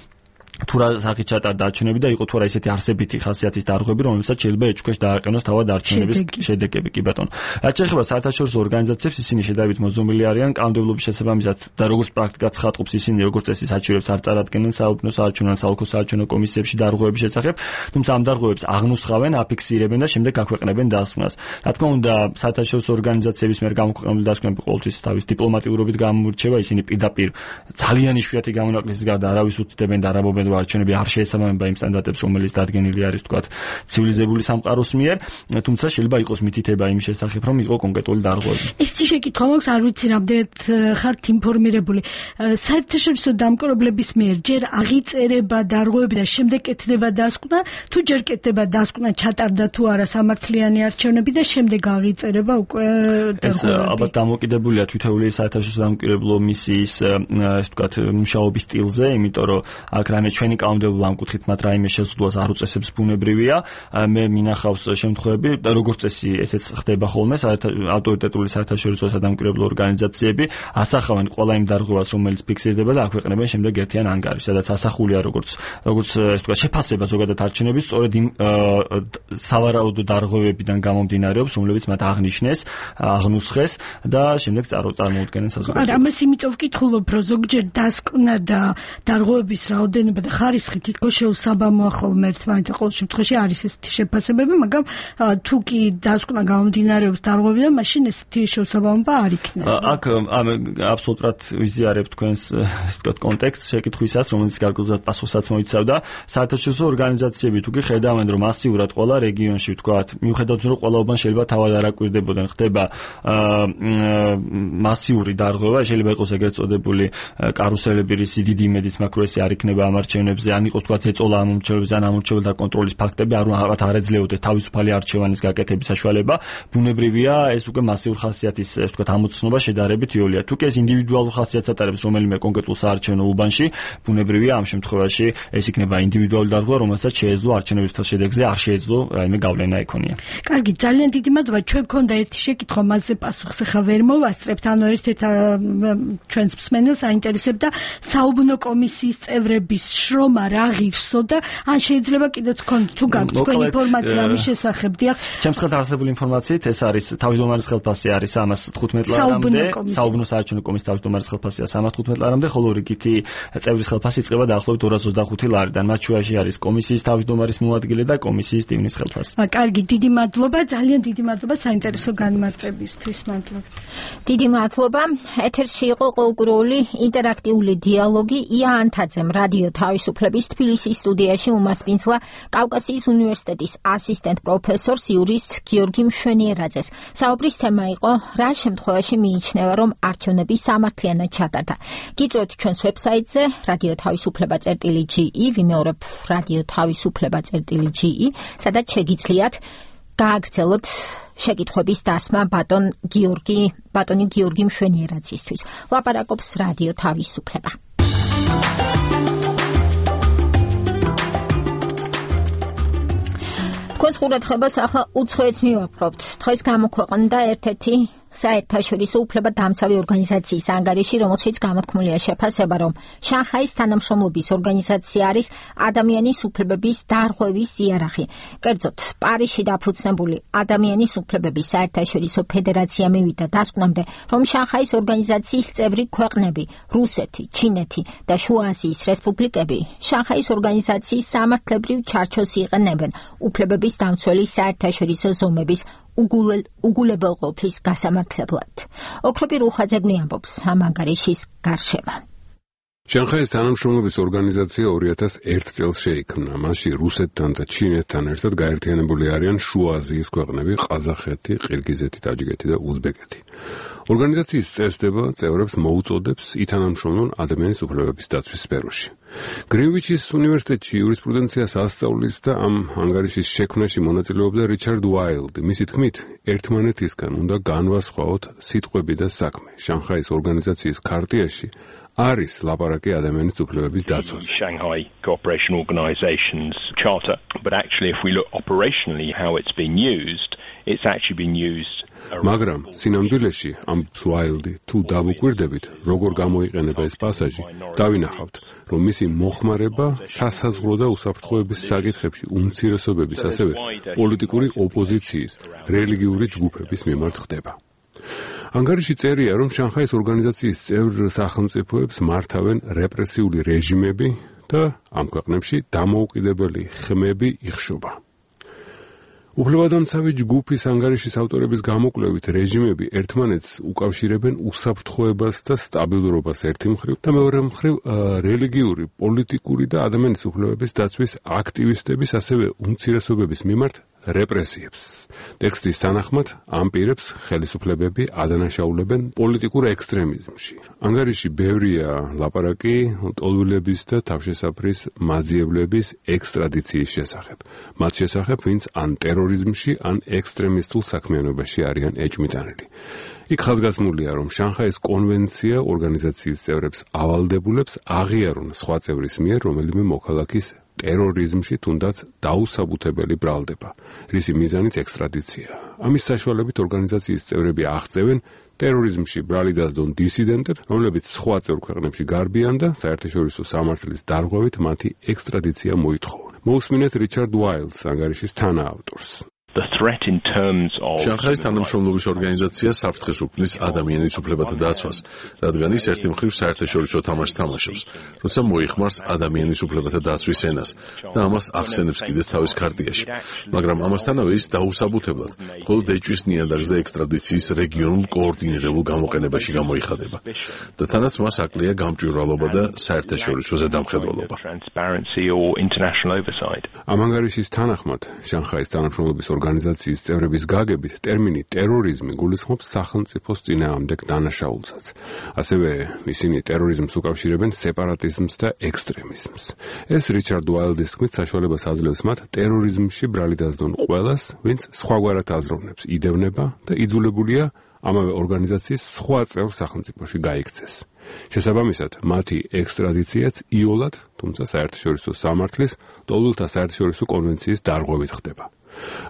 თუ რა სახით ჩატარდა არჩევნები და იყო თუ არა ისეთი არსებითი ხასიათის დარღვევები, რომელსაც შეიძლება ეჭქვეშ დააყენოს თავად არჩევნების შედეგები, კი ბატონო. რაც შეეხება საერთაშორისო ორგანიზაციებს, ისინი შედარებით მოძრაობილი არიან კანონმდებლობის შესაბამისად და როგორც პრაქტიკა ცხადყოფს, ისინი როგორც წესი საჩივრებს არ წარადგენენ საუბნო საარჩევნო ან საოლქო საარჩევნო კომისიებში დარღვევების შესახებ, თუმცა ამ დარღვევებს აღნუსხავენ, აფიქსირებენ და შემდეგ აქვეყნებენ დასკვნას. რა თქმა უნდა, საერთაშორისო ორგანიზაციების მიერ გამოქვეყნებული დასკვნები ყოველთვის თავის დიპლომატიურობით გამოირჩევა, ისინი პირდაპირ ძალიან იშვიათი გამონაკლისის გარდა არავის უთმდებენ და არაბობენ არჩევნები არ შეესაბამება იმ სტანდარტებს, რომელიც დადგენილი არის, თქვათ, ცივილიზებული სამყაროს მიერ, თუმცა შეიძლება იყოს მითითება იმის შესახებ, რომ იყო კონკრეტული დარღვევები. ეს შეკითხვა მაქვს, არ ვიცი რამდენად ხართ ინფორმირებული. საერთაშორისო დამკვირვებლების მიერ ჯერ აღიწერება დარღვევები და შემდეგ კეთდება დასკვნა, თუ ჯერ კეთდება დასკვნა ჩატარდა თუ არა სამართლიანი არჩევნები და შემდეგ აღიწერება უკვე დარღვევები. ეს ალბათ დამოკიდებულია თითოეული საერთაშორისო დამკვირვებლო მისიის, ეს ვთქვათ, მუშაობის სტილზე, იმიტომ რომ აქ რამე ჩვენი კანონმდებლობა ამ კუთხით მათ რაიმე შეზღუდვას არ უწესებს, ბუნებრივია. მე მინახავს შემთხვევები და როგორც წესი ესეც ხდება ხოლმე, ავტორიტეტული საერთაშორისო სადამკვირვებლო ორგანიზაციები ასახავენ ყველა იმ დარღვევას, რომელიც ფიქსირდება და აქვეყნებენ შემდეგ ერთიან ანგარიშს, სადაც ასახულია როგორც ეს თქვა შეფასება ზოგადად არჩევნების სწორედ იმ სავარაუდო დარღვევებიდან გამომდინარეობს, რომლებიც მათ აღნიშნეს, აღნუსხეს და შემდეგ წარმოუდგენენ საზოგადოებას. არა, ამას იმიტომ ვკითხულობ, რომ ზოგჯერ დასკვნა და დარღვევების რაოდენობა და ხარისხი თითქოს შეუსაბამოა ხოლმე ერთმანეთთან. ყოველ შემთხვევაში არის ესეთი შეფასებები, მაგრამ თუ კი დასკვნა გამომდინარეობს დარღვევიდან, მაშინ ესეთი შეუსაბამობა არ იქნება. აქ აბსოლუტურად ვიზიარებ თქვენს ეს თქვა კონტექსტს შეკითხვისას, რომელიც გარკვეულად პასუხსაც მოიცავდა. საერთაშორისო ორგანიზაციები თუ კი ხედავენ, რომ მასიურად ყველა რეგიონში ვთქვათ, მიუხედავად რომ ყველაობან შეიძლება თავად არ აკვირდებოდნენ, ხდება მასიური დარღვევა, შეიძლება იყოს ეგრეთ წოდებული კარუსელები, რისი დიდი იმედიც მაქვს, რომ ეს არ იქნება ამ არჩევნებზე, ან იყოს თქვა ეწოლა ამ არჩევნებზე, ან ამ არჩევნებთა კონტროლის ფაქტები არ ეძლეოდეს თავისუფალი არჩევანის გაკეთების საშუალება. ბუნებრივია, ეს უკვე მასიურ ხასიათის, ეს თქვა ამოცნობა შედარებით იოლია. თუ კი ეს ინდივიდუალურ ხასიათს ატარებს რომელიმე კონკრეტულ საარჩევნო უბანში, ბუნებრივია ამ შემთხვევაში ეს იქნება ინდივიდუალური დარღვევა, რომელსაც შეეძლო არჩევნების შედეგზე არ შეეძლო რაიმე გავლენა ეკონია. კარგი, ძალიან დიდი მადლობა. ჩვენ გქონდა ერთი შეკითხვა, მასზე პასუხს ახლა ვერ მოვასწრებთ, ანუ ერთ-ერთ ჩვენს მსმენელს აინტერესებდა საუბნო კომისიის წევრების შრომა რა ღირსო და ან შეიძლება კიდეც გქონდეთ თუ გაქვთ თქვენ ინფორმაცია ამის შესახებ. დიახ. ჩემს ხელთ არსებული ინფორმაციით ეს არის თავმჯდომარის ხელფასი არის 315 ლარამდე, საუბნო საარჩევნო კომისიის თავმჯდომარის ხელფასია 315 ლარამდე, ხოლო რიგითი წევრის ხელფასი იწყება დაახლოებით 225 ლარიდან. მათ შუაში არის კომისიის თავმჯდომარის მოადგილე და კომისიის ტივნის ხელფასი. კარგი, დიდი მადლობა, ძალიან დიდი მადლობა საინტერესო განმარტებისთვის. მადლობა. დიდი მადლობა. ეთერში იყო ყოველკვირეული ინტერაქტიული დიალოგი ია ანთაძემ რადიო თავის თავისუფლების თბილისის სტუდიაში უმასპინძლა კავკასიის უნივერსიტეტის ასისტენტ პროფესორს იურისტ გიორგი მშვენიერაძეს. საუბრის თემა იყო რა შემთხვევაში მიიჩნევა, რომ არჩევნები სამართლიანად ჩატარდა. გიწვევთ ჩვენს ვებსაიტზე radio-თავისუფლება.ge, ვიმეორებ radio-თავისუფლება.ge, სადაც შეგიძლიათ გააგრძელოთ შეკითხვების დასმა ბატონი გიორგი მშვენიერაძისთვის. ლაპარაკობს რადიო თავისუფლება. თქვენს ყურადღებას ახლა უცხოეთს მივაპყრობთ. დღეს გამოქვეყნდა ერთ-ერთი საერთაშორისო უფლებადამცავი ორგანიზაციის ანგარიში, რომელშიც გამოთქმულია შეფასება, რომ შანხაის თანამშრომლობის ორგანიზაცია არის ადამიანის უფლებების დარღვევის იარაღი. კერძოდ, პარიზში დაფუძნებული ადამიანის უფლებების საერთაშორისო ფედერაცია მივიდა დასკვნამდე, რომ შანხაის ორგანიზაციის წევრი ქვეყნები, რუსეთი, ჩინეთი და შუა აზიის რესპუბლიკები, შანხაის ორგანიზაციის სამართლებრივ ჩარჩოს იყენებენ უფლებების დამცველი საერთაშორისო ზომების უგულებელყოფის გასამართლებლად. ოქროპი რუხაძე გვიამბობს ამ ანგარიშის გარშემო. შანხაის თანამშრომლობის ორგანიზაცია 2001 წელს შეიქმნა. მასში რუსეთთან და ჩინეთთან ერთად გაერთიანებული არიან შუა აზიის ქვეყნები, ყაზახეთი, ყირგიზეთი, ტაჯიკეთი და უზბეკეთი. ორგანიზაციის წესდება წევრებს მოუწოდებს ითანამშრომლონ ადამიანის უფლებების დაცვის სფეროში. გრინვიჩის უნივერსიტეტში იურისპრუდენციას ასწავლის და ამ ანგარიშის შექმნაში მონაწილეობდა რიჩარდ უაილდი. მისი თქმით, ერთმანეთისგან უნდა განვასხვაოთ სიტყვები და საქმე. შანხაის ორგანიზაციის ქარტიაში არის ლაპარაკი ადამიანის უფლებების დაცვას. Shanghai Cooperation Organization's charter, but actually if we look operationally how it's been used, it's actually been used. მაგრამ სინამდვილეში ამ უაილდი თუ დავუკვირდებით, როგორ გამოიყენება ეს პასაჟი, დავინახავთ, რომ მისი მოხმარება სასაზღვრო და უსაფრთხოების საკითხებში უმცირესობების, ასევე პოლიტიკური ოპოზიციის, რელიგიური ჯგუფების მიმართ ხდება. ანგარიში წერია, რომ შანხაის ორგანიზაციის წევრ სახელმწიფოებს მართავენ რეპრესიული რეჟიმები და ამ ქვეყნებში დამოუკიდებელი ხმები იხშობა. უფლებადამცავი ჯგუფის ანგარიშის ავტორების გამოკვლევით, რეჟიმები ერთმანეთს უკავშირებენ უსაფრთხოებას და სტაბილურობას ერთი მხრივ და მეორე მხრივ რელიგიური, პოლიტიკური და ადამიანის უფლებების დაცვის აქტივისტების, ასევე უმცირესობების მიმართ რეპრესიებს. ტექსტის თანახმად ამ პირებს ხელისუფლებები ადანაშაულებენ პოლიტიკურ ექსტრემიზმში. ანგარიში ბევრია ლაპარაკი ტოლვილების და თავშესაფრის მაძიებლების ექსტრადიციის შესახებ. მათ შესახებ, ვინც ან ტერორიზმში, ან ექსტრემისტულ საქმიანობაში არიან ეჭვმიტანილი. იქ ხაზგასმულია, რომ შანხაის კონვენცია ორგანიზაციის წევრებს ავალდებულებს აღიარონ სხვა წევრის მიერ რომელიმე მოქალაქის ტერორიზმში თუნდაც დაუსაბუთებელი ბრალდება, რისი მიზანიც ექსტრადიცია. ამის საშუალებით ორგანიზაციის წევრები აღწევენ ტერორიზმში ბრალი დასდონ დისიდენტებს, რომლებიც სხვა წევრ ქვეყნებში გარბიან და საერთაშორისო სამართლის დარღვევით მათი ექსტრადიცია მოითხოვონ. მოусმინეთ რიჩარდ უაილდს, ანგარიშის თანაავტორს. The threat in terms of შანხაის თანამშრომლობის ორგანიზაცია საფრთხეს უქმნის ადამიანის უფლებათა დაცვას, რადგან ის ერთი მხრივ საერთაშორისო თამაშს თამაშობს, როცა მოიხმარს ადამიანის უფლებათა დაცვის ენას და ამას ახსენებს კიდეც თავის ქარტიაში. მაგრამ ამასთანავე ის დაუსაბუთებლად მხოლოდ ეჭვის ნიადაგზე ექსტრადიციის რეგიონულ კოორდინირებულ გამოყენებაში გამოიხადება და თანაც მას აკლია გამჭვირვალობა და საერთაშორისო ზედამხედველობა. ამ ანგარიშის თანახმად შანხაის თანამშრომლობის ორგანიზაციის წევრების გაგებით ტერმინი ტერორიზმი გულისხმობს სახელმწიფოს წინააღმდეგ დანაშაულსაც. ასევე ისინი ტერორიზმს უკავშირებენ სეპარატიზმს და ექსტრემიზმს. ეს რიჩარდ უაილდის თქმით საშუალებას აძლევს მათ ტერორიზმში ბრალი დასდონ ყველას, ვინც სხვაგვარად აზროვნებს, იდევნება და იძულებულია ამავე ორგანიზაციის სხვა წევრ სახელმწიფოში გაიქცეს. შესაბამისად, მათი ექსტრადიციაც იოლად, თუმცა საერთაშორისო სამართლის ტოლვილთა საერთაშორისო კონვენციის დარღვევით ხდება.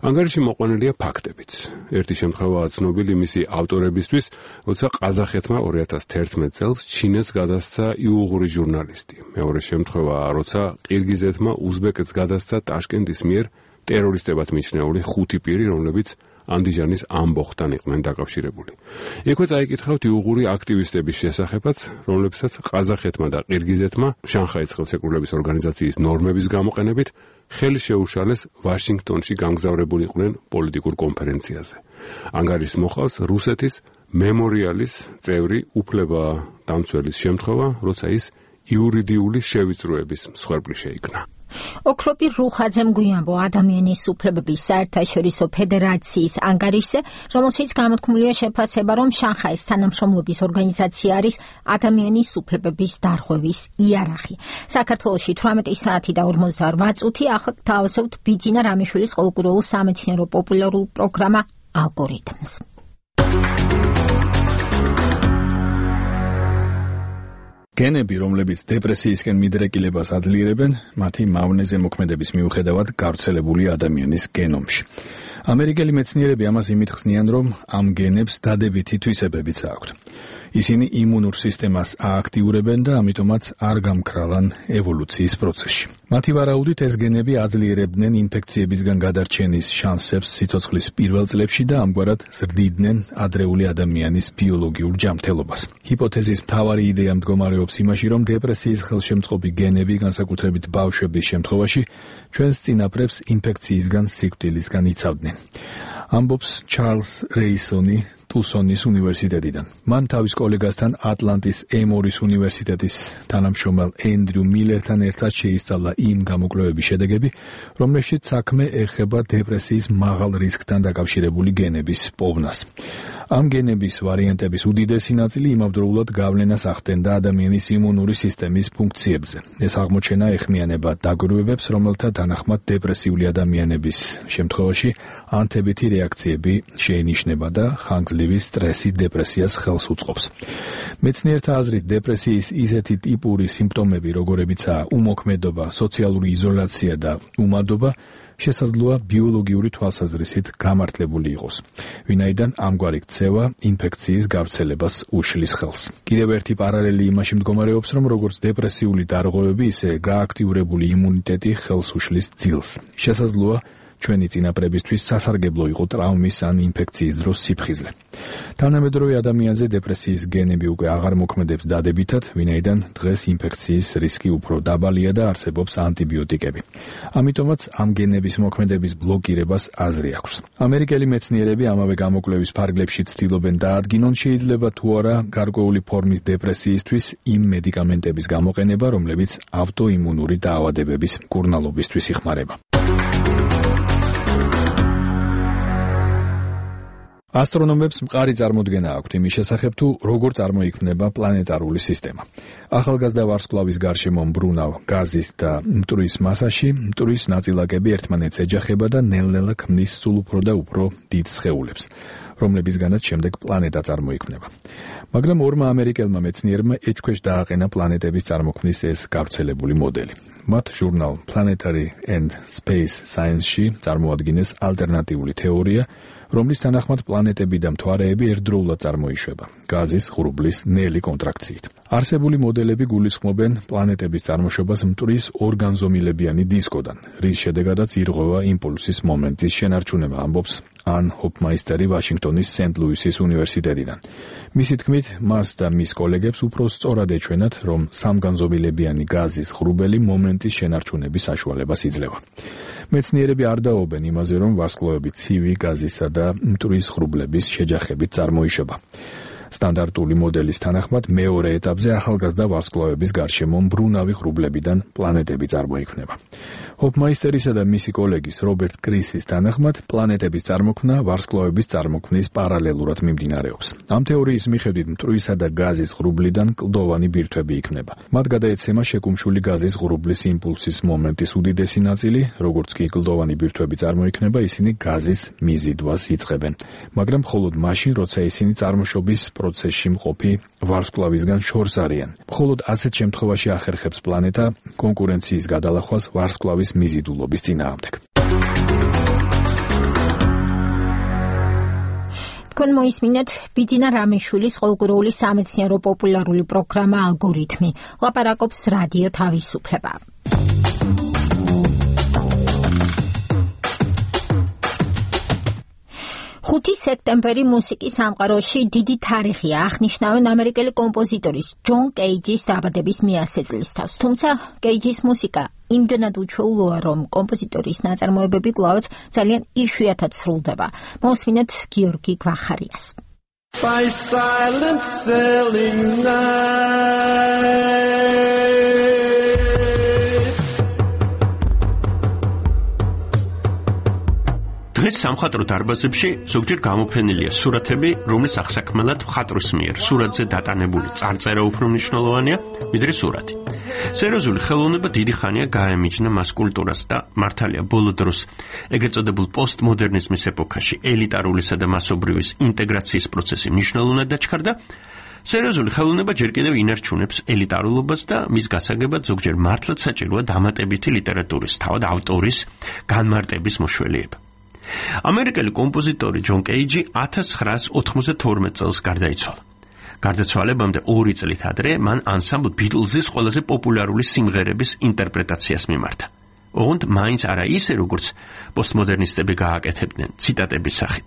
ანგარიში მოყვანილია ფაქტებიც. ერთი შემთხვევაა ცნობილი მისი ავტორებისთვის, როცა ყაზახეთმა 2011 წელს ჩინეთს გადასცა იუღური ჟურნალისტი. მეორე შემთხვევაა, როცა ყირგიზეთმა უზბეკეთს გადასცა ტაშკენტის მიერ ტერორისტებად მიჩნეული 5 პირი, რომლებიც ანდიჟანის ამბოხთან იყვნენ დაკავშირებული. იქვე წაიკითხავთ იუღური აქტივისტების შესახებაც, რომლებსაც ყაზახეთმა და ყირგიზეთმა შანხაის ხელშეკრულების ორგანიზაციის ნორმების გამოყენებით ხელი შეუშალეს ვაშინგტონში გამგზავრებულიყვნენ პოლიტიკურ კონფერენციაზე. ანგარიშს მოყავს რუსეთის მემორიალის წევრი უფლება დამცველის შემთხვევა, როცა ის იურიდიული შევიწროების მსხვერპლი შეიქნა. ოქროპი რუხაძემ გვიანბო ადამიანის უფლებების საერთაშორისო ფედერაციის ანგარიშზე, რომელშიც გამოთქმულია შეფასება, რომ შანხაის თანამშრომლობის ორგანიზაცია არის ადამიანის უფლებების დარღვევის იარაღი. საქართველოში 18 საათი და 58 წუთი ახლა გთავაზობთ ბიძინა რამიშვილის ყოველკვირეულ სამეცნიერო პოპულარულ პროგრამა ალგორითმს. გენები, რომლებიც დეპრესიისკენ მიდრეკილებას აძლიერებენ, მათი მავნეზე მოქმედების მიუხედავად გავრცელებული ადამიანის გენომში. ამერიკელი მეცნიერები ამას იმით ხსნიან, რომ ამ გენებს დადებითი თვისებებიც აქვთ. ისინი იმუნურ სისტემას ააქტიურებენ და ამიტომაც არ გამქრალან ევოლუციის პროცესში. მათი ვარაუდით ეს გენები აძლიერებდნენ ინფექციებისგან გადარჩენის შანსებს სიცოცხლის პირველ წლებში და ამგვარად ზრდიდნენ ადრეული ადამიანის ბიოლოგიურ ჯანმრთელობას. ჰიპოთეზის მთავარი იდეა მდგომარეობს იმაში, რომ დეპრესიის ხელშემწყობი გენები, განსაკუთრებით ბავშვების შემთხვევაში, ჩვენს წინაპრებს ინფექციისგან სიკვდილისგან იცავდნენ. ამბობს ჩარლზ რეისონი ტუსონის უნივერსიტეტიდან. მან თავის კოლეგასთან ატლანტის ემორის უნივერსიტეტის თანამშრომელ ენდრიუ მილერთან ერთად შეისწავლა იმ გამოკვლევების შედეგები, რომლებშიც საქმე ეხება დეპრესიის მაღალ რისკთან დაკავშირებული გენების პოვნას. ამ გენების ვარიანტების უდიდესი ნაწილი იმავდროულად გავლენას ახდენდა ადამიანის იმუნური სისტემის ფუნქციებზე. ეს აღმოჩენა ეხმიანება დაგვირვებებს, რომელთა თანახმად დეპრესიული ადამიანების შემთხვევაში ანთებითი რეაქციები შეინიშნება და ხანგრძლივი სტრესი დეპრესიას ხელს უწყობს. მეცნიერთა აზრით, დეპრესიის ისეთი ტიპური სიმპტომები, როგორებიცაა უმოქმედობა, სოციალური იზოლაცია და უმადობა, შესაძლოა ბიოლოგიური თვალსაზრისით გამართლებული იყოს, ვინაიდან ამგვარი ქცევა ინფექციის გავრცელებას უშლის ხელს. კიდევ ერთი პარალელი იმაში მდგომარეობს, რომ როგორც დეპრესიული დარღვევები, ისე გააქტიურებული იმუნიტეტი ხელს უშლის ძილს. შესაძლოა ჩვენი წინაპრებისთვის სასარგებლო იყო ტრავმის ან ინფექციის დროს სიფხიზლე. თანამედროვე ადამიანზე დეპრესიის გენები უკვე აღარ მოქმედებს დადებითად, ვინაიდან დღეს ინფექციის რისკი უფრო დაბალია და არსებობს ანტიბიოტიკები. ამიტომაც ამ გენების მოქმედების ბლოკირებას აზრი აქვს. ამერიკელი მეცნიერები ამავე გამოკვლევის ფარგლებში ცდილობენ დაადგინონ, შეიძლება თუ არა გარკვეული ფორმის დეპრესიისთვის იმ მედიკამენტების გამოყენება, რომლებიც ავტოიმუნური დაავადებების მკურნალობისთვის იხმარება. ასტრონომებს მყარი წარმოდგენა აქვთ იმის შესახებ, თუ როგორ წარმოიქმნება პლანეტარული სისტემა. ახალგაზრდა ვარსკვლავის გარშემო მბრუნავ გაზის და მტვრის მასაში მტვრის ნაწილაკები ერთმანეთს ეჯახება და ნელ-ნელა ქმნის სულ უფრო და უფრო დიდ სხეულებს, რომლებისგანაც შემდეგ პლანეტა წარმოიქმნება. მაგრამ ორმა ამერიკელმა მეცნიერმა ეჭქვეშ დააყენა პლანეტების წარმოქმნის ეს გავრცელებული მოდელი. მათ ჟურნალ Planetary and Space Science-ში წარმოადგინეს ალტერნატიული თეორია, რომლის თანახმად პლანეტები და მთვარეები ერთდროულად წარმოიშვება გაზის ღრუბლის ნელი კონტრაქციით. არსებული მოდელები გულისხმობენ პლანეტების წარმოშობას მტვრის ორგანზომილებიანი დისკოდან, რის შედეგადაც ირღვევა იმპულსის მომენტის შენარჩუნება, ამბობს ან ჰოფმაისტერი ვაშინგტონის სენტ-ლუისის უნივერსიტეტიდან. მისი თქმით, მას და მის კოლეგებს უფრო სწორად ეჩვენათ, რომ სამგანზომილებიანი გაზის ღრუბელი მომენტის შენარჩუნების საშუალებას იძლევა. მეცნიერები არ დაობენ იმაზე, რომ ვარსკვლავები ცივი გაზისა და მტვრის ღრუბლების შეჯახებით წარმოიშვება. სტანდარტული მოდელის თანახმად მეორე ეტაპზე ახალგაზრდა ვარსკვლავების გარშემო მბრუნავი ღრუბლებიდან პლანეტები წარმოიქმნება. ჰოფმაისტერისა და მისი კოლეგის რობერტ კრისის თანახმად პლანეტების წარმოქმნა ვარსკვლავების წარმოქმნის პარალელურად მიმდინარეობს. ამ თეორიის მიხედვით მტვრისა და გაზის ღრუბლიდან კლდოვანი ბირთვები იქმნება. მათ გადაეცემა შეკუმშული გაზის ღრუბლის იმპულსის მომენტის უდიდესი ნაწილი, როგორც კი კლდოვანი ბირთვები წარმოიქმნება, ისინი გაზის მიზიდვას იწყებენ, მაგრამ მხოლოდ მაშინ, როცა ისინი წარმოშობის პროცესში მყოფი ვარსკვლავისგან შორს არიან. მხოლოდ ასეთ შემთხვევაში ახერხებს პლანეტა კონკურენციის გადალახვას ვარსკვლავის მიზიდულობის წინააღმდეგ. თქვენ მოისმინეთ ბიძინა რამიშვილის ყოველკვირეული სამეცნიერო პოპულარული პროგრამა ალგორითმი. ლაპარაკობს რადიო თავისუფლება. 5 სექტემბერი მუსიკის სამყაროში დიდი თარიღია. აღნიშნავენ ამერიკელი კომპოზიტორის ჯონ კეიჯის დაბადების მიასე წლისთავს. თუმცა კეიჯის მუსიკა იმდენად უჩვეულოა, რომ კომპოზიტორის ნაწარმოებები კვლავაც ძალიან იშვიათად სრულდება. მოусმინეთ გიორგი გვახარიას. By silent selling night. დღეს სამხატვრო დარბაზებში ზოგჯერ გამოფენილია სურათები, რომლის აღსაქმელად მხატვრის მიერ სურათზე დატანებული წარწერა უფრო მნიშვნელოვანია, ვიდრე სურათი. სერიოზული ხელოვნება დიდი ხანია გაემიჯნა მას კულტურას და მართალია ბოლო დროს ეგრეთ წოდებულ პოსტმოდერნიზმის ეპოქაში ელიტარულისა და მასობრივის ინტეგრაციის პროცესი მნიშვნელოვნად დაჩქარდა. სერიოზული ხელოვნება ჯერ კიდევ ინარჩუნებს ელიტარულობას და მის გასაგებად ზოგჯერ მართლაც საჭიროა დამატებითი ლიტერატურის, თავად ავტორის განმარტების მოშველიება. ამერიკელი კომპოზიტორი ჯონ კეიჯი 1992 წელს გარდაიცვალა. გარდაცვალებამდე 2 წლით ადრე მან ანსამბლ ბიტლზის ყველაზე პოპულარული სიმღერების ინტერპრეტაციას მიმართა. ოღონდ მაინც არა ისე, როგორც პოსტმოდერნისტები გააკეთებდნენ ციტატების სახით.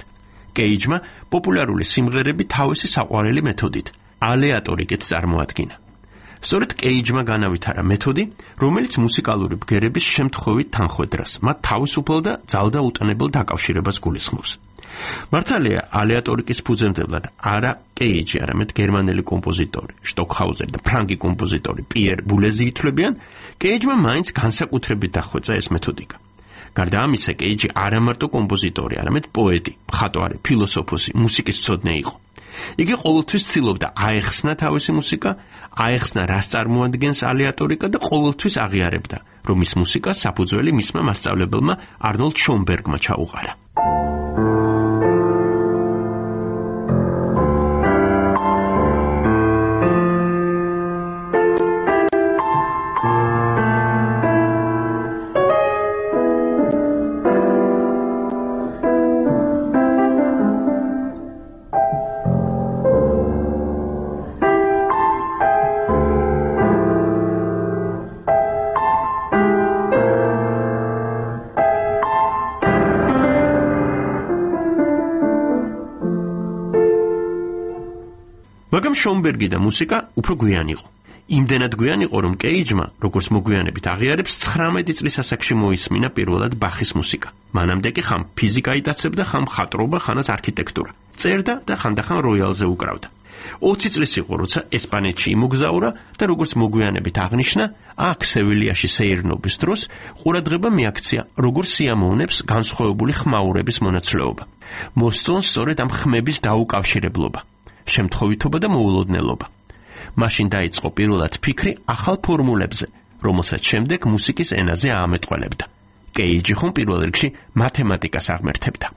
კეიჯმა პოპულარული სიმღერები თავისი საყვარელი მეთოდით, ალეატორიკით წარმოადგინა. სწორედ კეიჯმა განავითარა მეთოდი, რომელიც მუსიკალური ბგერების შემთხვევით თანხვედრას, მათ თავისუფალ და ძალდაუტანებელ დაკავშირებას გულისხმობს. მართალია, ალეატორიკის ფუძემდებლად არა კეიჯი, არამედ გერმანელი კომპოზიტორი, შტოკჰაუზერი და ფრანგი კომპოზიტორი პიერ ბულეზი ითვლებიან, კეიჯმა მაინც განსაკუთრებით დახვეწა ეს მეთოდიკა. გარდა ამისა, კეიჯი არა მარტო კომპოზიტორი, არამედ პოეტი, მხატვარი, ფილოსოფოსი, მუსიკის მცოდნე იყო. იგი ყოველთვის ცდილობდა აეხსნა თავისი მუსიკა, აეხსნა რას წარმოადგენს ალეატორიკა და ყოველთვის აღიარებდა, რომ მის მუსიკას საფუძველი მისმა მასწავლებელმა არნოლდ შონბერგმა ჩაუყარა. მაგრამ შონბერგი და მუსიკა უფრო გვიან იყო. იმდენად გვიან იყო, რომ კეიჯმა, როგორც მოგვიანებით აღიარებს, 19 წლის ასაკში მოისმინა პირველად ბახის მუსიკა. მანამდე კი ხამ ფიზიკა იტაცებდა, ხამ მხატვრობა, ხანაც არქიტექტურა. წერდა და ხანდახან როიალზე უკრავდა. 20 წლის იყო, როცა ესპანეთში იმოგზაურა და როგორც მოგვიანებით აღნიშნა, აქ სევილიაში სეირნობის დროს ყურადღება მიაქცია, როგორ სიამოვნებს განსხვავებული ხმაურების მონაცვლეობა. მოსწონს სწორედ ამ ხმების დაუკავშირებლობა. შემთხვევითობა და მოულოდნელობა. მაშინ დაიწყო პირველად ფიქრი ახალ ფორმულებზე, რომელსაც შემდეგ მუსიკის ენაზე აამეტყველებდა. კეიჯი ხომ პირველ რიგში მათემატიკას აღმერთებდა.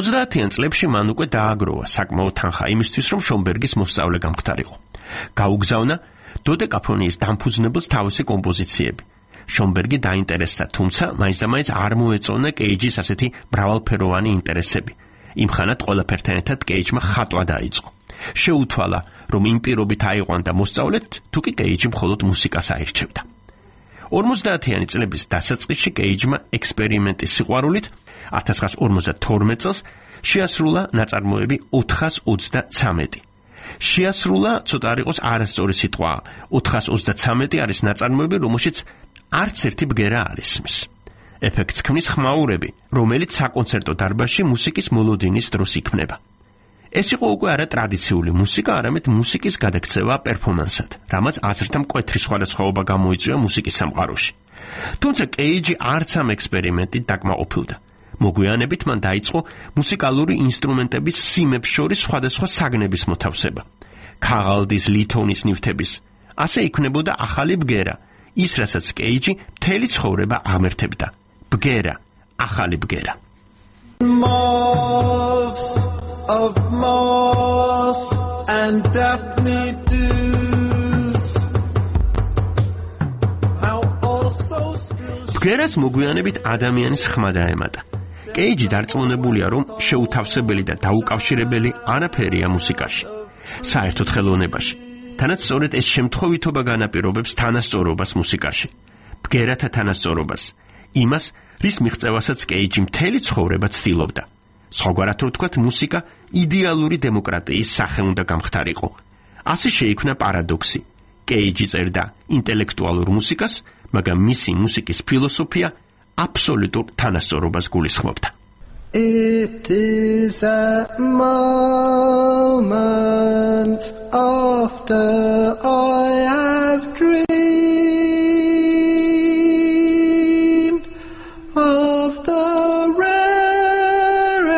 ოცდაათიან წლებში მან უკვე დააგროვა საკმაოდ თანხა იმისთვის, რომ შონბერგის მოსწავლე გამხდარიყო. გაუგზავნა დოდეკაფონიის დამფუძნებელს თავისი კომპოზიციები. შონბერგი დაინტერესდა, თუმცა მაინც არ მოეწონა კეიჯის ასეთი მრავალფეროვანი ინტერესები. იმხანად ყველაფერთან ერთად კეიჯმა ხატვა დაიწყო. შეუთვალა, რომ იმ პირობით აიყვანდა მოსწავლეთ, თუ კი კეიჯი მხოლოდ მუსიკას აირჩევდა. 50-იანი წლების დასაწყისში კეიჯმა ექსპერიმენტის სიყვარულით 1952 წელს შეასრულა ნაწარმოები 423. შეასრულა ცოტა არ იყოს არასწორი სიტყვა. 423 არის ნაწარმოები, რომელშიც არც ერთი ბგერა არ ისმის. ეფექტს ქმნის ხმაურები, რომელიც საკონცერტო დარბაზში მუსიკის მოლოდინის დროს იქმნება. ეს იყო უკვე არა ტრადიციული მუსიკა, არამედ მუსიკის გადაქცევა პერფორმანსად, რამაც აზრთა მკვეთრი სხვადასხვაობა გამოიწვია მუსიკის სამყაროში. თუმცა კეიჯი არც ამ ექსპერიმენტით დაკმაყოფილდა. მოგვიანებით მან დაიწყო მუსიკალური ინსტრუმენტების სიმებს შორის სხვადასხვა საგნების მოთავსება. ქაღალდის, ლითონის ნივთების. ასე იქმნებოდა ახალი ბგერა, ის რასაც კეიჯი მთელი ცხოვრება ამერთებდა. ბგერა, ახალი ბგერა. Moths of moss and daphne dews, how also still ბგერას მოგვიანებით ადამიანის ხმა დაემატა. კეიჯი დარწმუნებულია, რომ შეუთავსებელი და დაუკავშირებელი არაფერია მუსიკაში, საერთოდ ხელოვნებაში. თანაც სწორედ ეს შემთხვევითობა განაპირობებს თანასწორობას მუსიკაში, ბგერათა თანასწორობას, იმას, რის მიღწევასაც კეიჯი მთელი ცხოვრება ცდილობდა. სხვაგვარად რო ვთქვათ, მუსიკა იდეალური დემოკრატიის სახე უნდა გამხდარიყო. ასე შეიქმნა პარადოქსი. კეიჯი წერდა ინტელექტუალურ მუსიკას, მაგრამ მისი მუსიკის ფილოსოფია აბსოლუტურ თანასწორობას გულისხმობდა. It is a moment after I have dreamed of the rare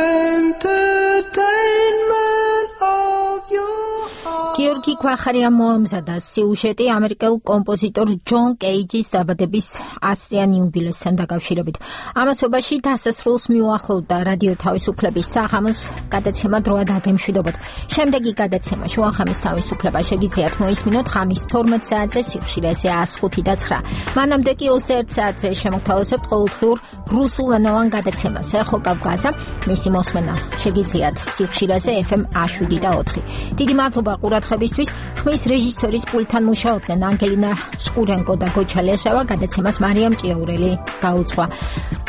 entertainment of your heart. გიორგი ქვახარიამ მოამზადა სიუჟეტი ამერიკელ კომპოზიტორ ჯონ კეიჯის დაბადების 100-იან იუბილესთან დაკავშირებით. ამასობაში დასასრულს მიუახლოვდა რადიო თავისუფლების საღამოს გადაცემა დროა დაგემშვიდობოთ. შემდეგი გადაცემა შუახამის თავისუფლება შეგიძლიათ მოისმინოთ ღამის 12 საათზე სიხშირეზე 105 და 9. მანამდე კი 21 საათზე შემოგთავაზებთ ყოველდღიურ რუსულენოვან გადაცემას ეხო კავკაზა. მისი მოსმენა შეგიძლიათ სიხშირეზე FM 7 და 4. დიდი მადლობა ყურადღებისთვის. ხმის რეჟისორის პულტთან მუშაობდნენ ანგელინა შკურენკო და გოჩა ლეშავა. გადაცემას მარიამ ჭიაურელი გაუძღვა.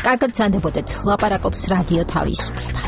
კარგად გრძანდებოდეთ. ლაპარაკობს რადიო თავისუფლება.